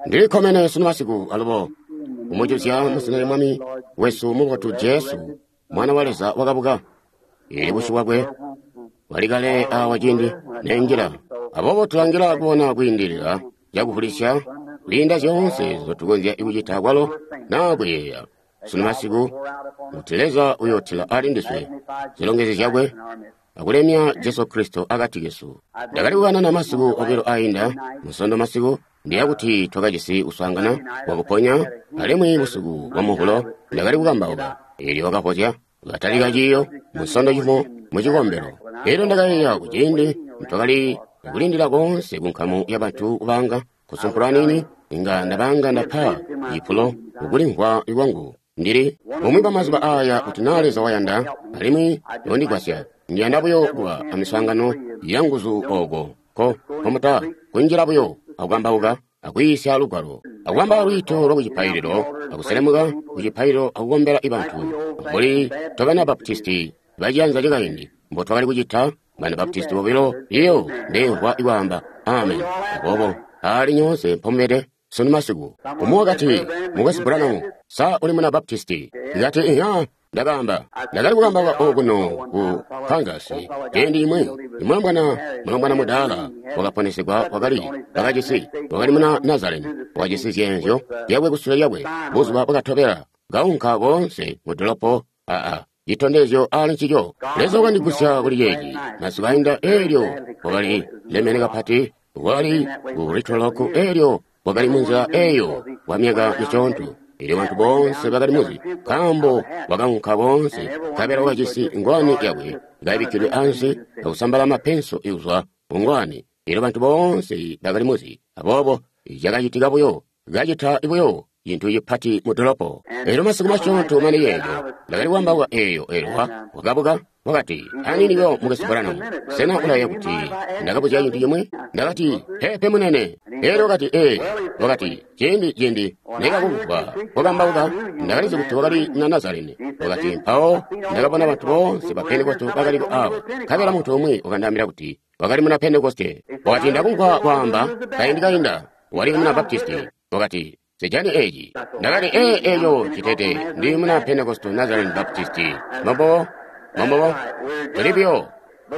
Ndili kkomene sunu masiku alubo kumujuzya muzina lya Mwami wesu mubotu Jesu, Mwana wa Leza wakabuka. Ili busyu bwakwe bwali kale awa ciindi nenjila. Aboobo tulangila kubona kwiindilila cakuvulisya kwiinda zyoonse nzotukonzya kucita kwalo naa kuyeeya. Sunu masiku kuti Leza uyootila ali ndiswe zilongezyo zyakwe akulemya Jesu Kristo akati kesu. Ndakali kukanana masiku obilo ainda, Musondo masiku, ndiya kuti twakajisi kuswaangana kwakuponya, alimwi busiku bwa Muvulo ndakali kukambauka. Eelyo wakavozya, katalika ciiyo Musondo cimo mucikombelo. Eelyo ndakayeeya kuciindi twakali kulindila koonse kunkamu yabantu kubanga kusumpula niini, inga ndabanga ndapa cipulo kukulimvwa kwangu. Ndili bumwi bwa mazuba aya kuti naa Leza wayanda alimwi yondigwasya, ndiyanda buyo kuba amiswaangano yanguzu ooko ko komuta kunjila buyo akukambauka akwiisya lugwalo akubamba lwiito lwa kucipaililo akuselemuka kucipaililo akukombela ibantu mbuli tobana Baptisti baciyanza cakaindi mbo twakali kucita. Bana Baptisti bobilo iyo ndemvwa ikwaamba amen. Aboobo ali nyoonse mpomubede sunu masiku. Umwi wakati, Mukwesu Branham, sa uli muna Baptisti? Ndikati, iya. Ndakaamba, ndakali kukambauka okuno ku Kansas ciindi imwi. Mulombwana mudaala wakaponesegwa wakajisi, wakali muna Nazareni, wakajisi zyeenzyo zyakwe kusule lyakwe. Buzuba bwakatobela kaunka koonse mu dolopo aa citondezyo ali ncico. Leza wakandigusya kuli ceeci masiku ainda. Eelyo wakali lemene kapati, wakali ku Little Rock, eelyo wakali munzila eyo kwa myaka misyoonto. Elyo bantu boonse bakali muzi, nkaambo wakaunka koonse, nkabela wakajisi ngwani yakwe kaibikkidwe ansi akusambala mapenso kuzwa ku ngwani. Elyo bantu boonse bakali muzi. Aboobo cakacitika buyo, kacita buyo cintu cipati mu dolopo. Elyo masiku masyoonto mane yeejo ndakali kwaambaula eyo, elyo wakabuka wakati, Aniini buyo, Mukwesu Branham, sena ulayeeya kuti ndakabuzya cintu cimwi? Ndakati, Peepe munene. Elyo wakati, Ee, wakati, ciindi nekakumvwa kukambauka, ndakalizi kuti wakali muna Nazareni. Wakati, mpawo ndakabona bantu boonse ba Pentekoste bakaliko awo, nkabela muntu umwi wakandaambila kuti wakali muna Pentekoste. Wakati, ndakumvwa kwaamba kaindi kainda wali muna Baptisti. Wakati, sijani eeci. Ndakati, ee, eeco citete, ndi muna Pentekoste Nazarene Baptisti. Mambo, mambo, tuli buyo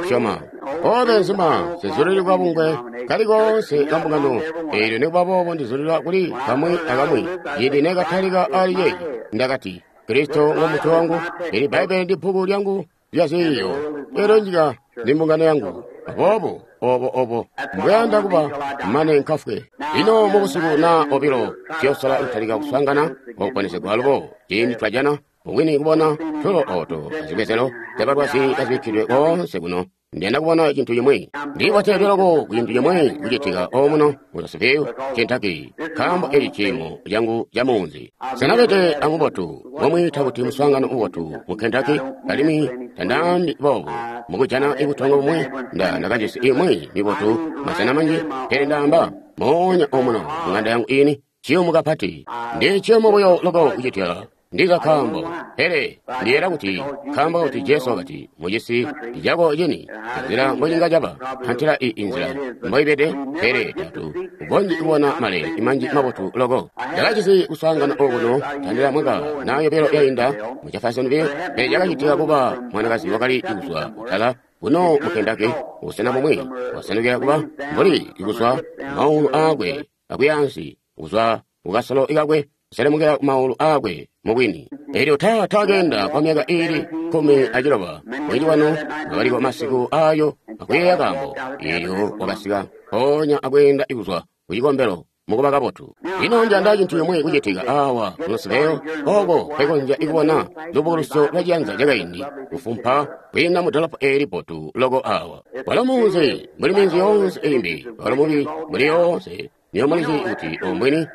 syoma. Obe nzima, sizulilwa kabungwe kali koonse ka mbungano. Eelyo nikuba boobo ndizulilwa kuli kamwi akamwi. Ciindi nekatalika ali ceeci, ndakati, Kristo ngo mutwe wangu, eli Bbaibbele ndi bbuku lyangu lya ziiyo, eelyo nyika ndi mbungano yangu. Aboobo obo mbweyanda kuba mane nkafwe. Lino mubusiku naa obilo tuyosola kutalika kuswaangana kwakuponesegwa alubo. Ciindi twajana mubwini kubona tulo oto azibwezelo zyabalwazi kazibikkidwe koonse kuno, ndiyanda kubona cintu cimwi. Ndiboteedwe loko ku cintu cimwi kucitika omuno mu Louisville, Kentucky, nkaambo eli ciimo cangu ca muunzi. Senabede amubotu ngomwiita kuti muswaangano mubotu mu Kentucky, alimwi tandaambi boobu mukujana ibutongo bumwi. Ndakajisi imwi mibotu masena manji, pele ndaamba moonya omuno mung'anda yangu ini ciyumu kapati. Ndi ciyumu buyo loko kucitya ndiza kaambo, pele ndiyeera kuti nkaambo kuti Jesu wakati mucisi cako cini nzila mbocinga caba antila i inzila mboibede, pele tatu ukonzyi kubona male manji mabotu loko. Ndakajisi kuswaangana okuno tandila mwaka naa yobilo yainda mu Jeffersonville, pele cakacitika kuba mwanakazi wakali kuzwa kutala kuno mu Kentucky, busena bumwi wasenukila kuba mbuli kuzwa maulu aakwe akuyaansi kuzwa kukasolo kakwe kuselemukila kumaulu aakwe mubwini. Elyo taakenda kwa myaka iili 16 mwezi wano wakaliko masiku ayo akuyeeya kaambo. Elyo wakasika mpoonya akweenda kuzwa kucikombelo mukuba kabotu. Lino njanda cintu cimwi kucitika awa ku Louisville, oko nkwekonzya kubona lubukulusyo lwa ciyanza cakaindi kufumpa kwiinda mu dolopo eeli bbotu loko awa. Walo munzi mbuli minzi yoonse imbi, walo mubi mbuli yoonse. Niyo mulizi kuti ombwini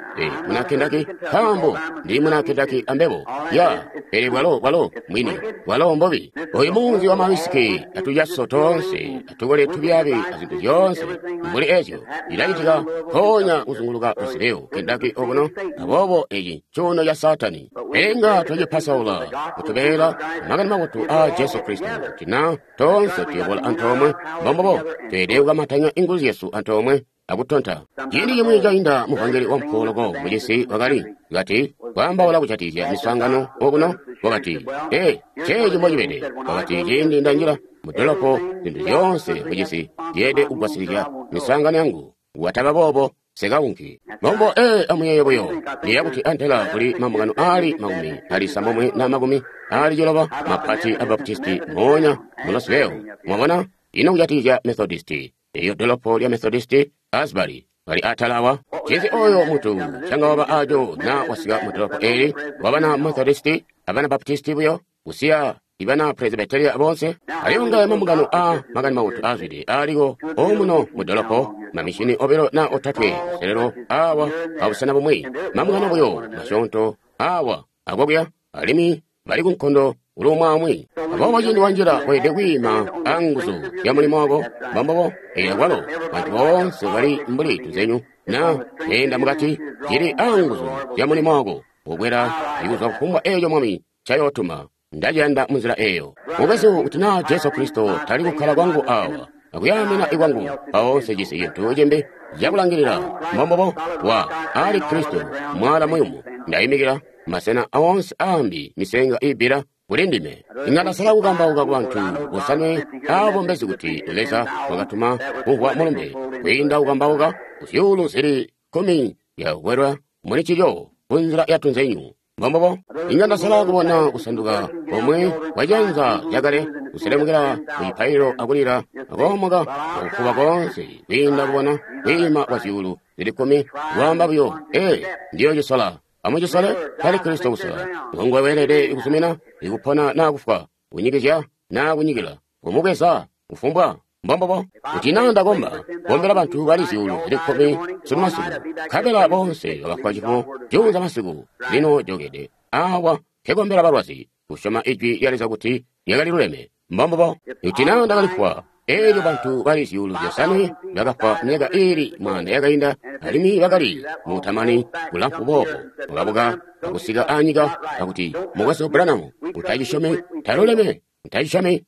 muna Kentucky, nkaambo ndi muna Kentucky ambebo. Ya, pele bwalo mwini, bwalo mbubi. Oyu munzi wa mawisiki atujaso toonse, atukole tubyaabi azintu zyoonse mbuli ezyo ilacitika mpoonya kuzunguluka Louisville, Kentucky okuno. Aboobo eci ncuuno ca Saatani. Pele inga twacipasaula kutubeela makani mabotu aa Jesu Kristo kuti na toonse tuyobola antoomwe. Mbombubo tweelede kukamatanya inguzu zyesu antoomwe. akutonta. Ciindi cimwi cainda muvangeli wampuwo loko mucisi wakali kati kwaambaula kujatikizya miswaangano okuno, wakati, ee, ceeci mbocibede. Wakati, ciindi ndanjila mudolopo, zintu zyoonse mucisi zyeelede kugwasilizya miswaangano yangu. Wataba boobo, sekaunki. Mbombo, ee, amuyeeye buyo. Ndiyeeya kuti antela kuli mambungano aali 69 na 90 mapati a Baptisti moonya mu Roseville. Mwabona? Ino kujatikizya Methodisti? Eyo dolopo lya Methodisti, Asbury, bali atala awa. Ncinzi oyo muntu canga waba aco na wasika mu dolopo eli, wabana Methodisti, abana Baptisti buyo, kusiya ibana Presbyteria bonse? Alimwi ngaya mambungano a Makani Mabotu aazwide aaliko omuno mu dolopo, mamishini 2 na 3 kuselelo awa abusena bumwi, mambungano buyo masyoonto awa akokuya, alimwi bali kunkondo uluumwaamwi. Aboobo ciindi wanjila weelede kwiima anguzu zya mulimo wako, mbombobo, eelyo kwalo bantu boonse bali mbuli tuzenyu na keenda mukati, cili anguzu zya mulimo wako, kukwela ikuzwa kufumbwa eeco Mwami ncayootuma. Ndaciyanda munzila eeyo. Mukwesu, kuti naa Jesu Kristo tali kukkala kwangu awa, akuyaamina kwangu, mpawo nsejisi cintu cimbi cakulangilila. Mbombobo, wa ali Kristo, mwaala muyumu. Ndaimikila masena oonse aambi misenga iibbila kuli ndime. Inga ndasala kukambauka ku bantu bosanwe aabo mbezi kuti Leza wakatuma kumvwa mulumbe kwiinda kukambauka ku zyuulu zili 10 zyakukwelwa muli ncico kunzila ya tunzenyu. Mbombobo, inga ndasala kubona kusanduka komwe kwa cianza cakale kuselemukila ku cipaililo akulila akoomoka akufuba koonse kwiinda kubona kwiima kwa zyuulu zili 10 kwaamba buyo, ee, ndiyo cisola. Amucisole, tali Kristo kusola. Ngonguwe weelede kusumina, ikupona naa kufwa, kunyikizya naa kunyikila, kumubweza, kufumbwa. Mbombobo, kuti naa ndakomba, kombela bantu bali zyuulu zili 10 sunu masiku, nkabela bonse bakafwa cifumo juunza masiku, lino jokede awa nkekombela balwazi, kusyoma ijwi lya Leza kuti lyakali luleme. Mbombobo, kuti naa ndakalifwa, eelyo bantu bali zyuulu 5 bakafwa myaka iili 1000 yakainda, alimwi bakali mutamani kulamfu boobo, bakabuka akusika anyika akuti, Mukwesu Branham, utacisyomi, taluleme, utacisyomi,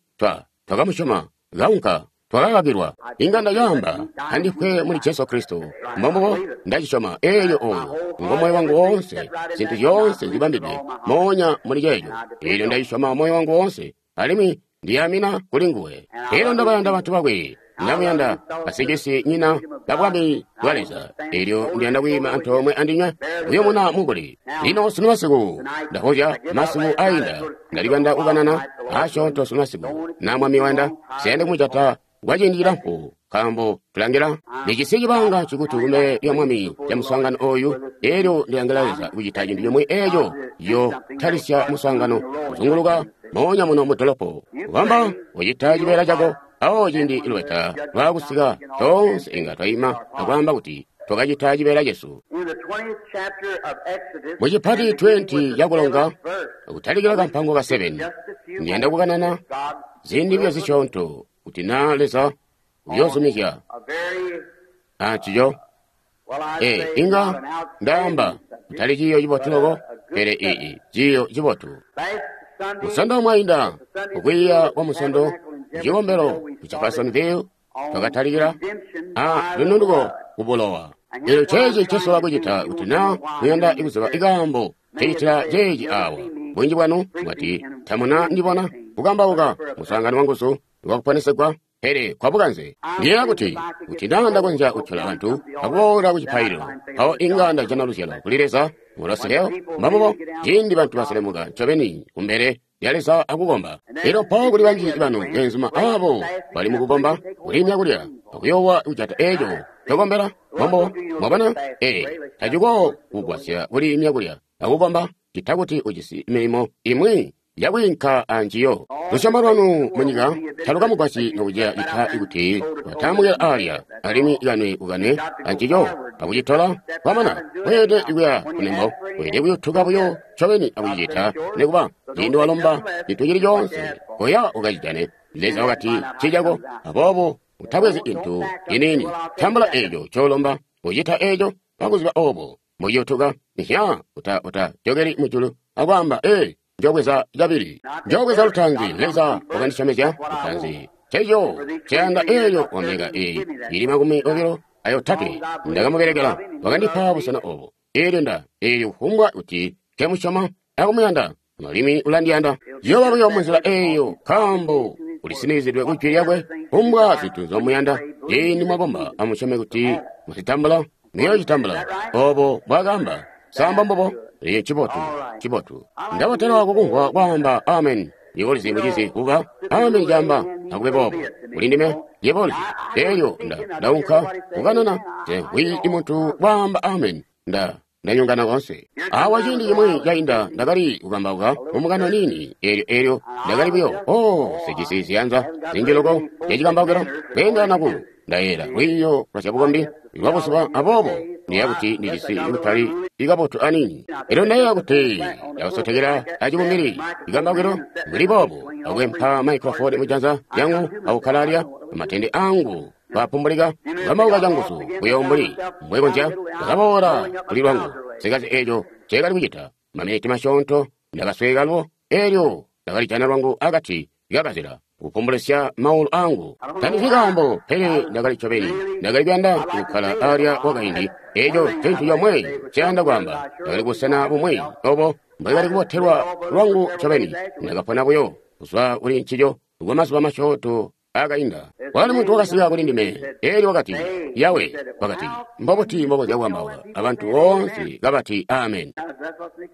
twakamusyoma, kaunka, twakakakilwa. Inga ndacaamba, andifwe muli Jesu Kristo. Mbombobo, ndacisyoma, eelyo oyo ngo moyo wangu woonse, zintu zyoonse zibambidwe moonya muli ceeco. Eelyo ndacisyoma moyo wangu woonse, alimwi ndiyamina kuli nguwe. Eelyo ndabayanda bantu bakwe, ndamuyanda basicisi nyina ba bwami bwa Leza. Eelyo ndiyanda kwiima antoomwe andinywe, kuyumuna mukuli. Lino sunu masiku, ndahozya masiku ainda, ndalibanda kukanana asyoonto sunu masiku, na Mwami wayanda, siyande kumujata kwa ciindi cilamfu, nkaambo tulangila nicisi cibanga cikuti kumbele lya Mwami lya muswaangano oyu. Eelyo ndilangila Leza kucita cintu cimwi eeco yo talisya muswaangano kuzunguluka moonya muno mu dolopo. Kubamba ucita cibeela cako, awo ciindi lubeta lwaakusika, toonse inga twaima akwaamba kuti twakacita cibeela cesu. Mu cipati 20 cakulonga, kutalikila kampango ka 7, ndiyanda kukanana ziindi buyo zisyoonto kuti naa Leza uyoozumizya ancico. Ee, inga ndaamba kutali ciiyo cibotu loko, pele ii ciiyo cibotu. Musondo mwainda, kukwiiya kwa musondo mucikombelo ku Jeffersonville, twakatalikila a lununduko kubulowa. Eelyo ceeci ncesola kucita kuti naa muyanda kuziba ikaambo ncecitila ceeci awa. Bunji bwanu mwati tamuna ndibona kukambauka muswaangano wanguzu wakuponesegwa, pele kwabukanze. Ndiyeeya kuti, kuti naa ndakonzya kutyola bantu akuboola ku cipaililo, mpawo inga ndajana luzyalo kuli Leza mu Roseville. Mbombubo, ciindi bantu baselemuka ncobeni kumbele lya Leza akukomba. Elyo mpawo kuli banji banu beenzuma aabo bali mukukomba, kuliimya kulya, akuyoowa kujata eeco ncokombela. Mbombubo, mwabona? Ee, taciko kugwasya kuliimya kulya akukomba, ccita kuti ujisi milimo imwi yakwiinka anjiyo. Lusyomo lwanu munyika talukamugwasyi nokuceya ccita kuti mwataamukila aalya, alimwi kanwe kukanwe ancico akucitola. Kwamana, weelede kuya kunembo, weelede kuyutuka buyo ncobeni akucicita, nikuba ciindi walomba cintu cili coonse, koya ukacijane. Leza wakati ncicako, aboobo utabwezi cintu ciniini, tambula eeco ncoolomba, ucita eeco akuziba oobo mbociyutuka. Nya utajokeli mujulu akwaamba, ee, njobweza cabili, njobweza lutaanzi. Leza wakandisyomezya lutaanzi, nceco nceyanda. Eelyo wamyaka eyi ili 20 ayotatwe ndakamubelekela, wakandipa busena obo. Eelyo nda, eelyo kufumbwa kuti nkemusyoma akumuyanda, alimwi ulandiyanda. Ciyooba buyo munzila eeyo, nkaambo ulisinizidwe ku jwi lyakwe. Kufumbwa zintu nzomuyanda, ciindi mwakomba amusyome kuti muzitambula, muyoocitambula. Obo mbwaakaamba. Sa mbombubo? Eeco ncibotu, ncibotu. Ndabotelwa kukumvwa kwaamba ameni. Yebo ulizi, mucizi, kuba ameni caamba akube boobo kuli ndime. Yebo ulizi, eelyo Nda ndaunka kukanana, nse mvwi muntu kwaamba ameni. Nda ndanyongana koonse. Awa ciindi cimwi cainda ndakali kukambauka mu mukano niini, eelyo eelyo ndakali buyo, oh, sijisi ziyanza zinji loko zyacikambaukilo kweendelana ku ndayeela lwiiyo lwa zyabukombi lwa buzuba, aboobo ndiyeeya kuti ndijisi kutali ikabotu aniini. Elyo ndayeeya kuti ndakasotekela acibumbili cikambaukilo mbuli boobo, akwempa maikrofoni mujanza lyangu akukkala alya, amatende angu kapumbulika, kukambauka canguzu buyo mbuli mbwekonzya. Ndakaboola kuli lwangu, nsekazi eeco nceekali kucita. Maminiti masyoonto ndakasweeka lwo, eelyo ndakalijana lwangu akati kakazila, kupumbulisya maulu angu. Tandizyi kaambo, pele ndakali ncobeni. Ndakali kuyanda kukkala alya kwakaindi. Eeco ncintu comwe nceyanda kwaamba. Ndakali kubusena bumwi obo mbwekali kubotelwa lwangu ncobeni. Ndakapona buyo kuzwa kuli ncico kwa mazuba masyoonto akainda. Kwakali muntu wakasika kuli ndime, eelyo wakati, Yawe, wakati, mbobuti mbokonzya kukambauka abantu boonse kabati amen?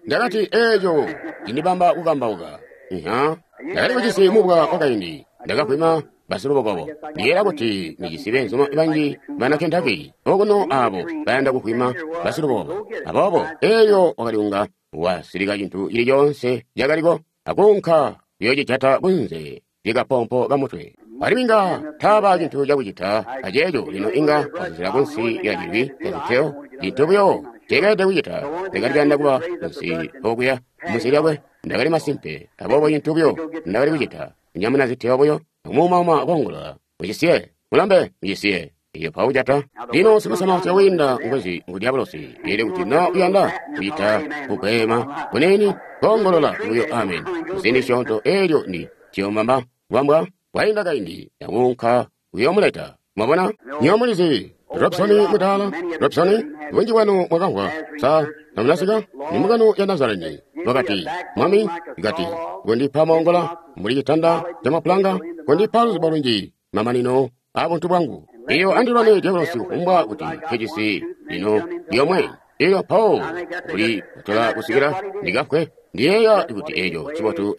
Ndakati, eeco cindibamba kukambauka. Iha. Ndakali kujisi mubwa wakaindi, ndakavwima basilubokobo. Ndiyeeya kuti ndijisi beenzuma banji bana Kentucky okuno abo bayanda kuvwima basilubokobo. Aboobo, eelyo wakali kunga wasilika cintu cili coonse cakaliko akuunka kuyocijata kunze lyakapompo kamutwe. Alimwi inga taaba cintu cakucita aceeco, lino inga wazuzila kunsi lya cilwi caziteo, cintu buyo nceekelede kucita. Ndakali kuyanda kuba kunsi okuya munsi lyakwe, ndakali masimpe. Aboobo cintu buyo ndakali kucita, kunyamuna ziteo buyo, akumuumauma koongolola, Mucisiye, mulambe, mucisiye. Elyo mpawo jata. Lino sikusamausa wiinda ngwezi ngu dyabulosi. Elyo kuti na uyanda kucita kugwema kuniini, koongolola buyo amen muziindi zisyoonto, eelyo ndi ciyombamba kubambwa kwainda kaindi akuunka kuyoomuleta. Mwabona? Nywebo mulizi, Robson mudaala, Robson, bunji bwanu mwakamvwa. Sa tamunasika? Ni mbungano ya Nazareni. Wakati, Mwami, kati, kondipa moongola mbuli citanda camapulanga, kondipa luzibo lunji, mamanino a buntu bwangu. Iyo andilwane dyabulosi kufumbwa kuti nkejisi lino lyomwe. Elyo mpawo kuli kutola kusikila ndikafwe. Ndiyeeya kuti eco ncibotu,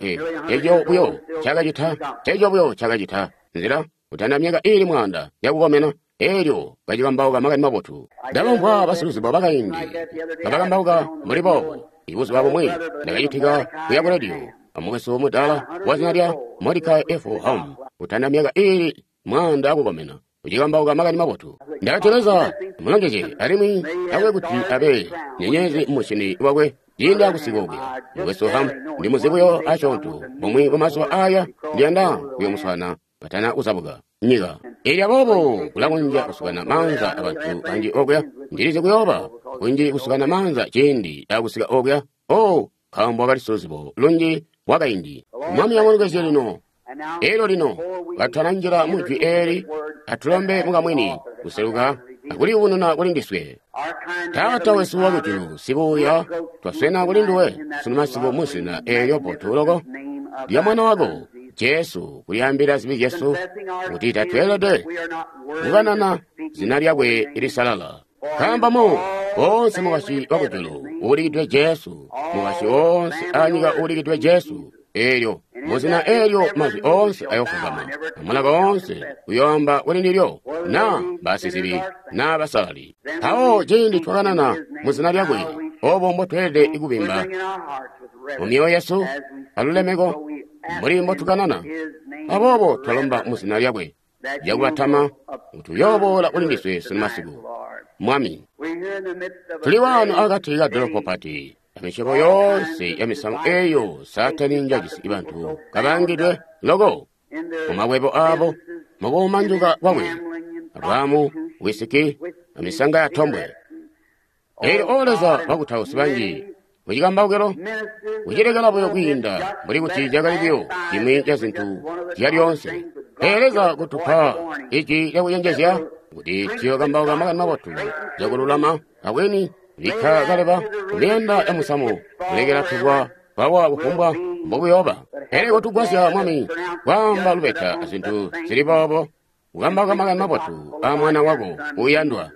eco buyo cakacita, eco buyo cakacita nzila kutanda myaka iili mwaanda yakukomena, elyo kacikambauka makani mabotu. Ndabamvwa basiluzibo bakaindi kabakambauka mbuli boobo. Ibuzuba bumwi ndakacitika kuya ku rediyo amukwesu mudaala wa zina lya Mordecai F. Ham, kutanda myaka iili mwaanda yakukomena, kucikambauka makani mabotu. Ndakati, Leza amulongezye, alimwi akube kuti abe nyenyezi mumusyini wakwe ciindi akusika okuya. Mukwesu Ham ndimuzi buyo asyoonto. Bumwi bwa mazuba aya ndiyanda kuyomuswaana katana kuzabuka nyika. Elyo aboobo kulakonzya kusukana maanza abantu banji okuya. Ndilizi kuyooba kunji kusukana maanza ciindi akusika okuya. Oh, nkaambo wakali siluzibo lunji wakaindi. Mwami amulongezye lino. Elyo lino, katutananjila mu jwi eeli, atulombe mukamwini kuseluka akuliyubununa kuli ndiswe. Taata wesu wakujulu, sibuuya, twaswena kuli nduwe sunu masiku mu zina eelyo bbotu loko lya Mwana wako Jesu, kulyaambila zibi zyesu kuti tatweelede kukanana zina lyakwe lisalala. Nkaambo mu woonse mukwasyi wakujulu uulikidwe Jesu, mukwasyi woonse anyika uulikidwe Jesu, eelyo muzina eelyo mazwi oonse ayofugama, amulaka oonse uyoamba kuli ndilyo, naa basizibi naa basalali. Mpawo ciindi twakanana muzina lyakwe, obo mbotweelede kubimba mu myoyo yesu alulemeko mbuli mbotukanana. Aboobo twalomba muzina lyakwe lyakubatama kuti uyooboola kuli ndiswe sunu masiku. Mwami, tuli waano akati ka dolopo pati, amisyobo yoonse ya misamu eyo Saatani njajisi bantu kabaangidwe loko mumakwebo aabo, mukuumanjuka kwakwe, abwaamu, wisiki, amisanga ya tombwe. Elyo o Leza, bakutausi banji mucikambaukilo kucilekela buyo kwiinda mbuli kuti cakali buyo cimwi ca zintu zya lyoonse. Pele Leza kutupa ijwi lyakucenjezya Kuti tuyokambauka makani mabotu cakululama abweni bikka kaleba kumiyanda ya musamu kulekela tubwa twawa kufumbwa mbokuyoba. Pele kotugwasya Mwami kwaamba lubeta azintu zili boobo, kukambauka makani mabotu a Mwana wako uuyandwa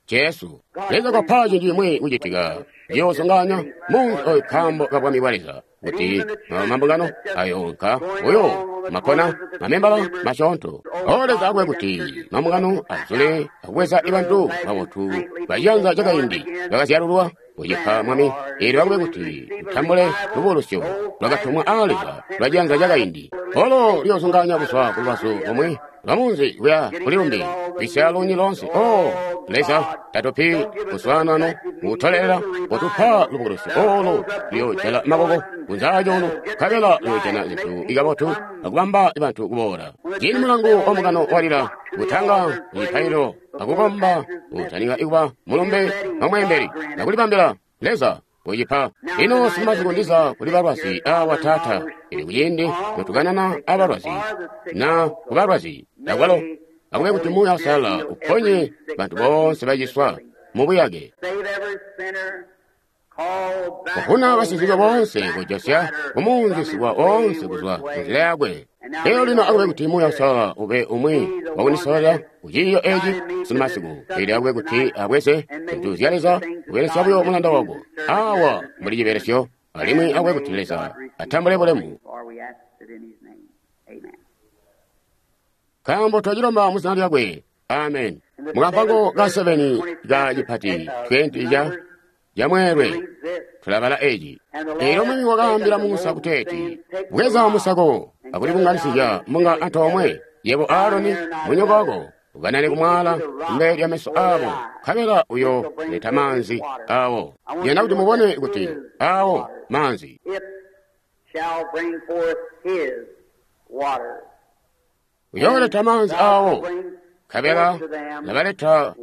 Jesu. Leza kopa cintu cimwi kucitika ciyoosonganya munzi oyu nkaambo ka bwami bwa Leza, kuti mambungano ayoonka buyo makkona mamembala masyoonto. O Leza akube kuti mambungano azule akubweza bantu babotu baciyanza cakaindi bakazyalulwa kucipa Mwami, eelyo akube kuti tutambule lubulusyo lwakatumwa aa Leza lwa ciyanza cakaindi. Olo liyoosonganya kuzwa ku lubazu lomwe lwa munzi kuya kuli lumbi, kwisya luuni loonse. O Leza, tatupi kuswaanano kutolelela, kotupa lubukulusyo olo luyoojala maboko kunzaacoolo, nkabela luyoojana zintu ikabotu akubamba bantu kuboola. Ciindi mulangu wa mukano walila, kutanga mipailo akukomba kutanika kuba mulumbe wa mweembeli akulibambila Leza kucipa. Lino simasiku ndiza kuli balwazi awa Taata, ili kuciindi notukanana abalwazi na kubalwazi akwalo akube kuti Muuya Uusalala uponye bantu boonse baciswa mubuyake. Kufuna basizike boonse kujosya kumunzi sikwa oonse kuzwa munzila yakwe. Lero lino akube kuti Muuya Uusalala ube umwi wakundisololela kuciiyo eci simasiku, ili akube kuti abweze zintu zya Leza kubelesya buyo mulanda wako awa mbuli cibelesyo, alimwi akube kuti Leza atambule bulemu. Nkaambo twacilomba mu zina lyakwe. Amen. Mukampango ka 7 ka cipati 20 ca mweelwe tulabala eci. Eelyo Mwami wakaambila Musa kuteeti, bweza musako akulibunganisizya mbunga antoomwe, yebo Aaroni munyoko wako, ukanane kumwala kumbele lya meso aabo, nkabela uyo leta maanzi awo. Ndiyanda kuti mubone kuti awo maanzi. Uyooleta maanzi awo, nkabela nabaleta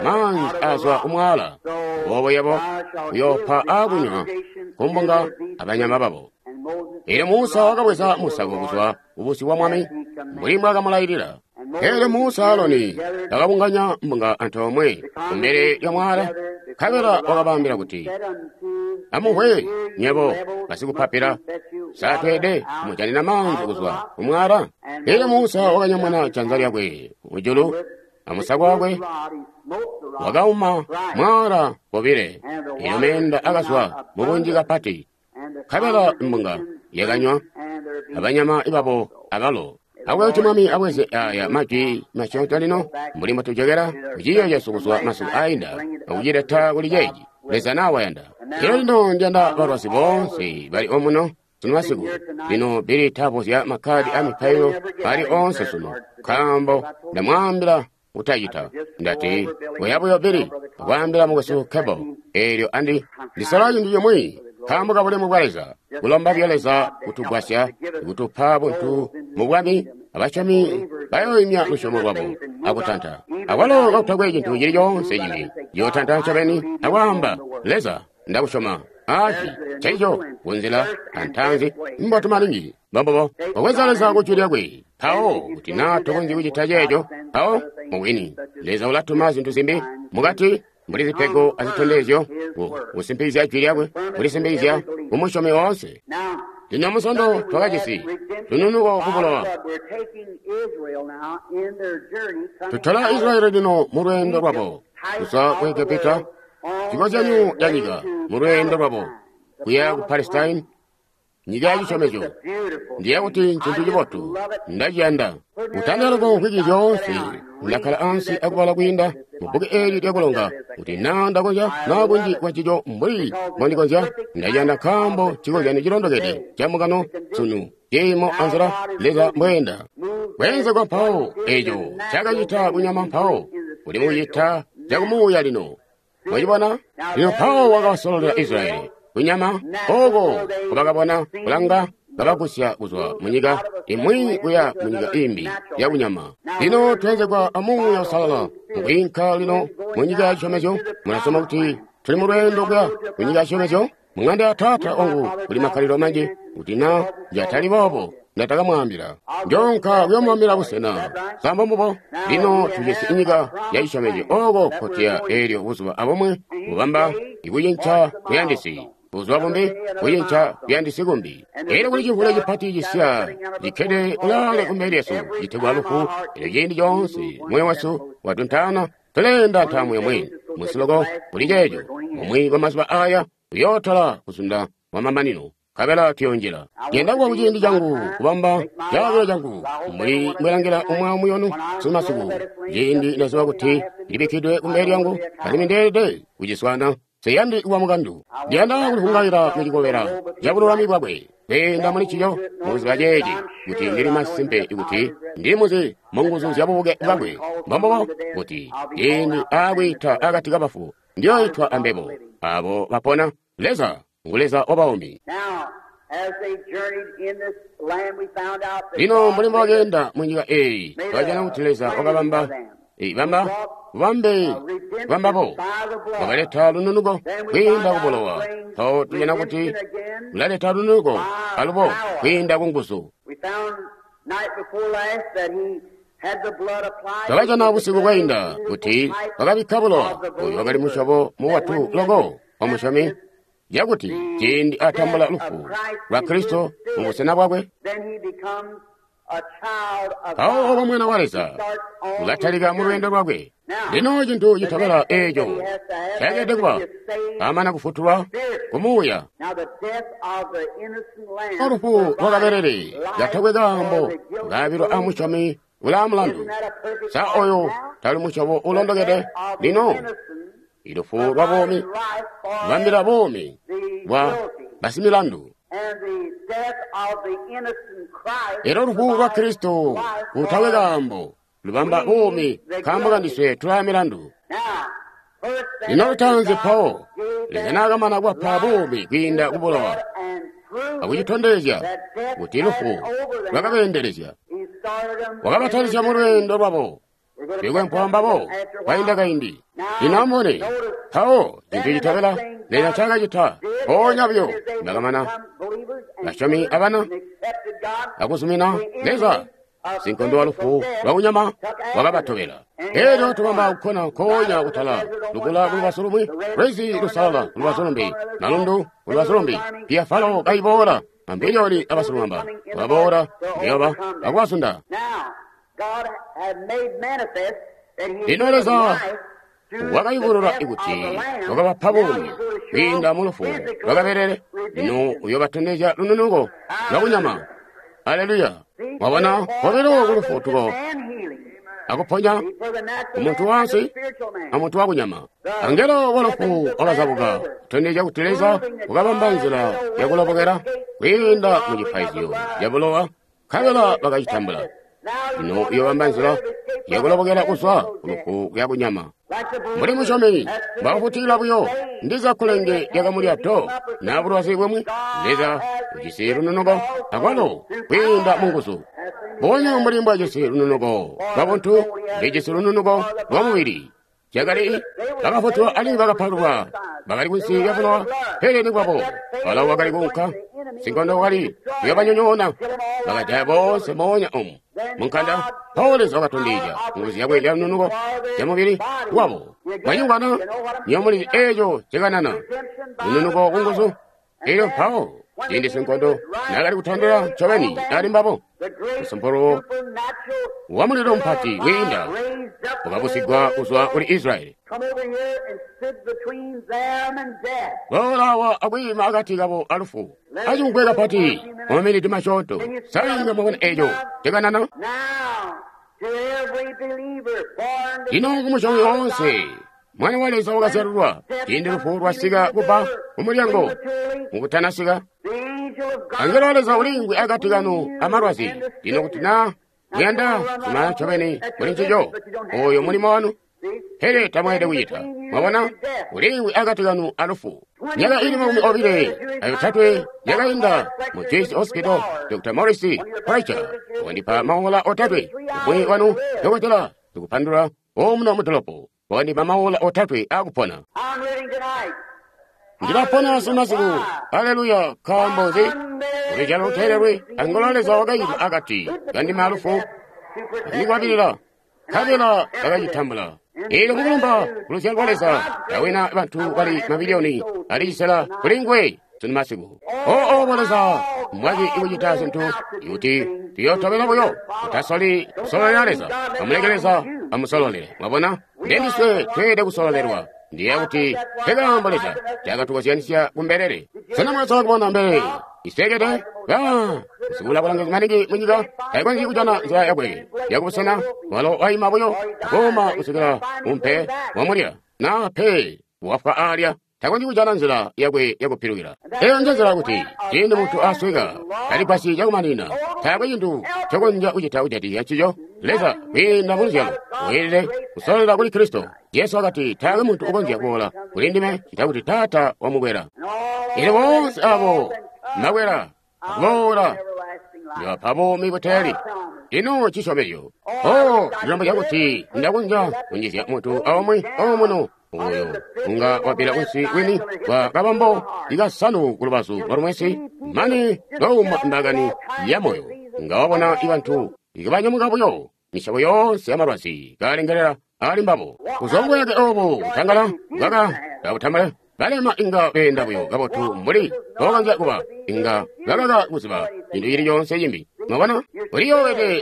maanzi azwa kumwala, boobo yebo uyoopa aakunywa kumbunga abanyama babo. Eelyo Musa wakabweza musako kuzwa kubusyu bwa Mwami mbuli mbwaakamulayilila. Eelyo Musa Aloni bakabunganya mbunga antoomwe kumbele lya mwala, nkabela wakabaambila kuti, amumvwe nywebo basikupapila, satweede kumujanina maanzi kuzwa kumwala? Eelyo Musa wakanyamuna janza lyakwe mujulu amusako wakwe wakauma mwala kobile, eelyo meenda akazwa mubunji kapati, nkabela mbunga yakanywa abanyama babo abalo. Akube kuti Mwami abweze aya majwi masyoonto lino mbuli mbotujokera kuciiyo cesu kuzwa masiku ainda akucileta kuli ceeci Leza nawayanda. Lero lino ndiyanda balwazi boonse bali omuno sunu masiku. Lino Billy tabozya makkadi a mipailo ali oonse sunu, nkaambo ndamwaambila kutacita. Ndati oya buyo Billy akwaambila mukwesu Cable, eelyo andi ndisola cintu cimwi nkaambo ka bulemu bwa Leza, kulomba buyo Leza kutugwasya kutupa buntu mu bwami, abasyomi bayoimya lusyomo lwabo akutanta. Akwalo kakutakwe cintu cili coonse cimbi, yootanta ncobeni akwaamba, Leza, ndakusyoma. Aci nceico kunzila antanzi mbotu maningi mbombobo wabweza Leza kujwi lyakwe. Mpawo kuti naa tokonzyi kucita ceeco, mpawo mubwini Leza ulatuma zintu zimbi mukati mbuli zipego azitondezyo kusimpikizya jwi lyakwe, kulisimpikizya kumusyomi woonse. Lino musondo twakajisi lununuko kubulowa. Tutola Israeli lino mu lweendo lwabo kuzwa ku Egepita, cikozyanyo ca nyika mu lweendo lwabo kuya ku Palestine, nyika ya cisyomezyo. Ndiya kuti ncintu cibotu, ndaciyanda. Kutandila loko mvwiki zyoonse ndakkala ansi akubala kwiinda mu bbuku eeli lyakulonga kuti naa ndakonzya naa kunji kwancico mbuli mbondikonzya. Ndaciyanda nkaambo cikozyanyo cilondokede ca mukano sunu ciimo anzila Leza mbweenda. Kweenzegwa mpawo eeco ncaakacita kunyama mpawo uli mukucita cakumuuya lino. Mwacibona? Lino mpawo wakabasololela Israeli kunyama ooko nkobakabona kulanga kabagusya kuzwa munyika imwi kuya munyika imbi yakunyama. Lino tweenzegwa amuuya Uusalala mukwiinka lino munyika ya cisyomezyo. Mulasoma kuti tuli mu lweendo kuya kunyika ya cisyomezyo. Muŋanda ya Taata wangu kuli makkalilo manji, kuti naa njatali boobo Nda takamwaambila. Njoonka kuyomubambila busena. Sa mbombubo? Lino tujisi inyika ya cisyomezyo oko kotuya elyo buzuba abumwi bubamba ikucinca kuyandisi. Buzuba bumbi kucinca kuyandisi kumbi. Elyo kuli cimvule cipati cisiya cikkede kulaale kumbele lyesu citegwa lufu. Elyo ciindi coonse moyo wesu watuntaana, tuleenda ntaamu yomwe musiloko kuli ceeco. Bumwi bwa mazuba aya uyootola kuzunda kwa mamanino, nkabela tuyonjila. Ndiyanda kuba kuciindi cangu kubamba caabilo cangu mbuli mbwelangila umwi aumwi wanu sunumasiku. Ciindi ndaziba kuti ndibikkidwe kumbele lyangu, alimwi ndeelede kuciswaana. Nseyandi kuba mukandu. Ndiyanda kulivungaila mucikobela ca bululami bwakwe, kweenda muli ncico mukuziba ceeci, kuti ndili masimpe kuti ndili muzi munguzu zya bubuke bwakwe. Mbombubo kuti ciindi aakwiita akati kabafu, ndiyoitwa ambebo abo bapona. Leza ngu Leza wabaumi. Lino mbuli mbobakeenda munyika eeyi, twakajana kuti Leza wakabamba bamba bubambe bwambabo, wakaleta lununuko kwiinda kubulowa. Mpawo tujana kuti ulaleta lununuko alubo kwiinda kunguzu. Twakajana busiku bwainda kuti wakabikka bulowa oyu wakali musyobo mubotu loko wa musyomi, cakuti ciindi atambula lufu lwa Kristo mubusena bwakwe, mpawo oba mwana wa Leza ulatalika mu lweendo lwakwe. Lino cintu citobela eeco cakeelede kuba amana kufutulwa kumuuya. Olufu lwakaberere katakwe kaambo kaabilwa a musyomi ulaa mulandu. Sa oyo tali musyobo ulondokede? Lino ilufu lwa buumi lubambila buumi bwa basimilandu. Elyo lufu lwa Kristo kutakwe kaambo lubamba buumi nkaambo kandiswe tulaa milandu. Lino lutaanzi mpawo Leza naakamana kubapa buumi kwiinda kubulowa akucitondezya kuti lufu lwakabeendelezya, wakabatalisya mu lweendo lwabo bikwempwa mbabo kwainda kaindi. Lino amubone mpawo cintu citobela Leza ncaakacita mpoonya buyo bakamana basyomi abana akuzumina Leza, sinkondo wa lufu lwakunyama wakabatobela. Elyo tubamba kukkona nkoonya kutala lukula kulubazu lumwi, lwizi lusalala kulubazu lumbi, malundu kulubazu lumbi, piya Falo kaiboola, mambiliyoni abasilumamba wakaboola kuyoba akubazunda. Lino Leza wakayubulula kuti wakabapa buumi kwiinda mu lufu lwakaberere. Lino uyobatondezya lununuko lwakunyama. Aleluya! Mwabona kobilo kulufutuko akuponya umuntu wansi amuntu wakunyama. Angelo wa lufu wakazabuka kutondezya kuti Leza wakabamba nzila yakulobokela kwiinda mu cipaizyo cabulowa, nkabela bakacitambula. Lino uyobamba nzila yakulobokela kuzwa kulufu kuya kunyama. Mbuli musyomi mbwakufutikila buyo ndiza kkulenge lyakamulya do naa bulwazi bumwi, Leza ujisi lununuko akwalo kwiinda munguzu. Mbubonya mbuli mbwajisi lununuko lwabuntu, ulijisi lununuko lwa mubili. Cakali bakafutulwa alimwi bakapalulwa, bakali kunsi lya bulowa, pele nikwabo Farao wakali kuunka, sinkondo wakali kuyobanyonyoona, bakajaya boonse moonya omu munkanda. Mpawo Leza wakatondezya nguzu yakwe lya lununuko lya mubili wabo. Mwanyungwana nywebo mulizi eeco cikanana lununuko kunguzu. Elyo mpawo ciindi sinkondo naakali kutandila ncobeni ali mbabo, musumpolo wa mulilo mupati wiinda wakabusigwa kuzwa kuli Israyeli. Boola akwiima akati kabo alufu acimugwe kapati mumaminiti masyoonto. Sainga mwabona eeco cikanana? Lino kumusyomi woonse Mwana wa Leza wakazyalulwa ciindi lufu lwasika kuba kumulyango mukutanasika. Angelo wa Leza uliingwi akati kanu amalwazi. Lino kuti naa muyanda kumala ncobeni muli ncico, oyo mulimo wanu, pele tamweelede kucita. Mwabona, uliingwi akati kanu alufu. Myaka ili 23 yakainda mu Jesu Hospital, Dr. Morris Preacher wandipa maola 3. Umwi wanu dokotela tikupandula omuno mudolopo wandipa maola 3 akupona. Ndilapona sunumasiku. Aleluya! Nkaambo nzi? Luzyalo luteelelwi angola Leza wakaitwa akati kandime alufu andikwabilila, nkabela bakacitambula. Eelyo mukulumba kuluzyalo lwa Leza, ndawina bantu bali mabiliyoni ali cisela kuli nguwe sunumasiku. Oo obo Leza mbwaki kucita zintu kuti tuyootobela buyo, tutasoli kusololela Leza, amuleke Leza amusololele. Mwabona, ndendiswe tweelede kusololelwa. Ndiyeeya kuti nkekaambo Leza ncaakatukozyanisya kumbelele. Sena mwakasola kubona mbelele isweekede? Ba, usikula bulangizi maningi munyika taikonzyi kujana nzila yakwe yakubusena, walo waima buyo akuuma kusikila umpe wamulya, naa pe wafwa aalya. Takonzyi kujana nzila yakwe yakupilukila. Eyo nje nzila kuti ciindi muntu asweka taligwasyi cakumaninina, taakwe cintu ncokonzya kucita kujatikizya ncico. Leza kwiinda muluzyalo weelede kusololela kuli Kristo. Jesu wakati taakwe muntu ukonzya kuboola kuli ndime ccita kuti Taata wamukwela. Eelyo boonse abo makwela akuboola ndibapa buumi buteeli. Ino cisyomezyo! Oh, ndilomba cakuti ndakonzya kunjizya muntu aumwi omuno oyo unga wabbila kunsi kwini kwa kabambo ikasanu kulubazu lwa lumwesi mane louma mbakani ya moyo, nga wabona ibantu ikabanyamuka buyo misyobo yoonse ya malwazi kalengelela ali mbabo. Kuzwa kubuyake obu kutangala bwaka kabutambala, balema inga beenda buyo kabotu mbuli mbobakonzya kuba, inga bakaka kuziba cintu cili coonse cimbi. Mwabona,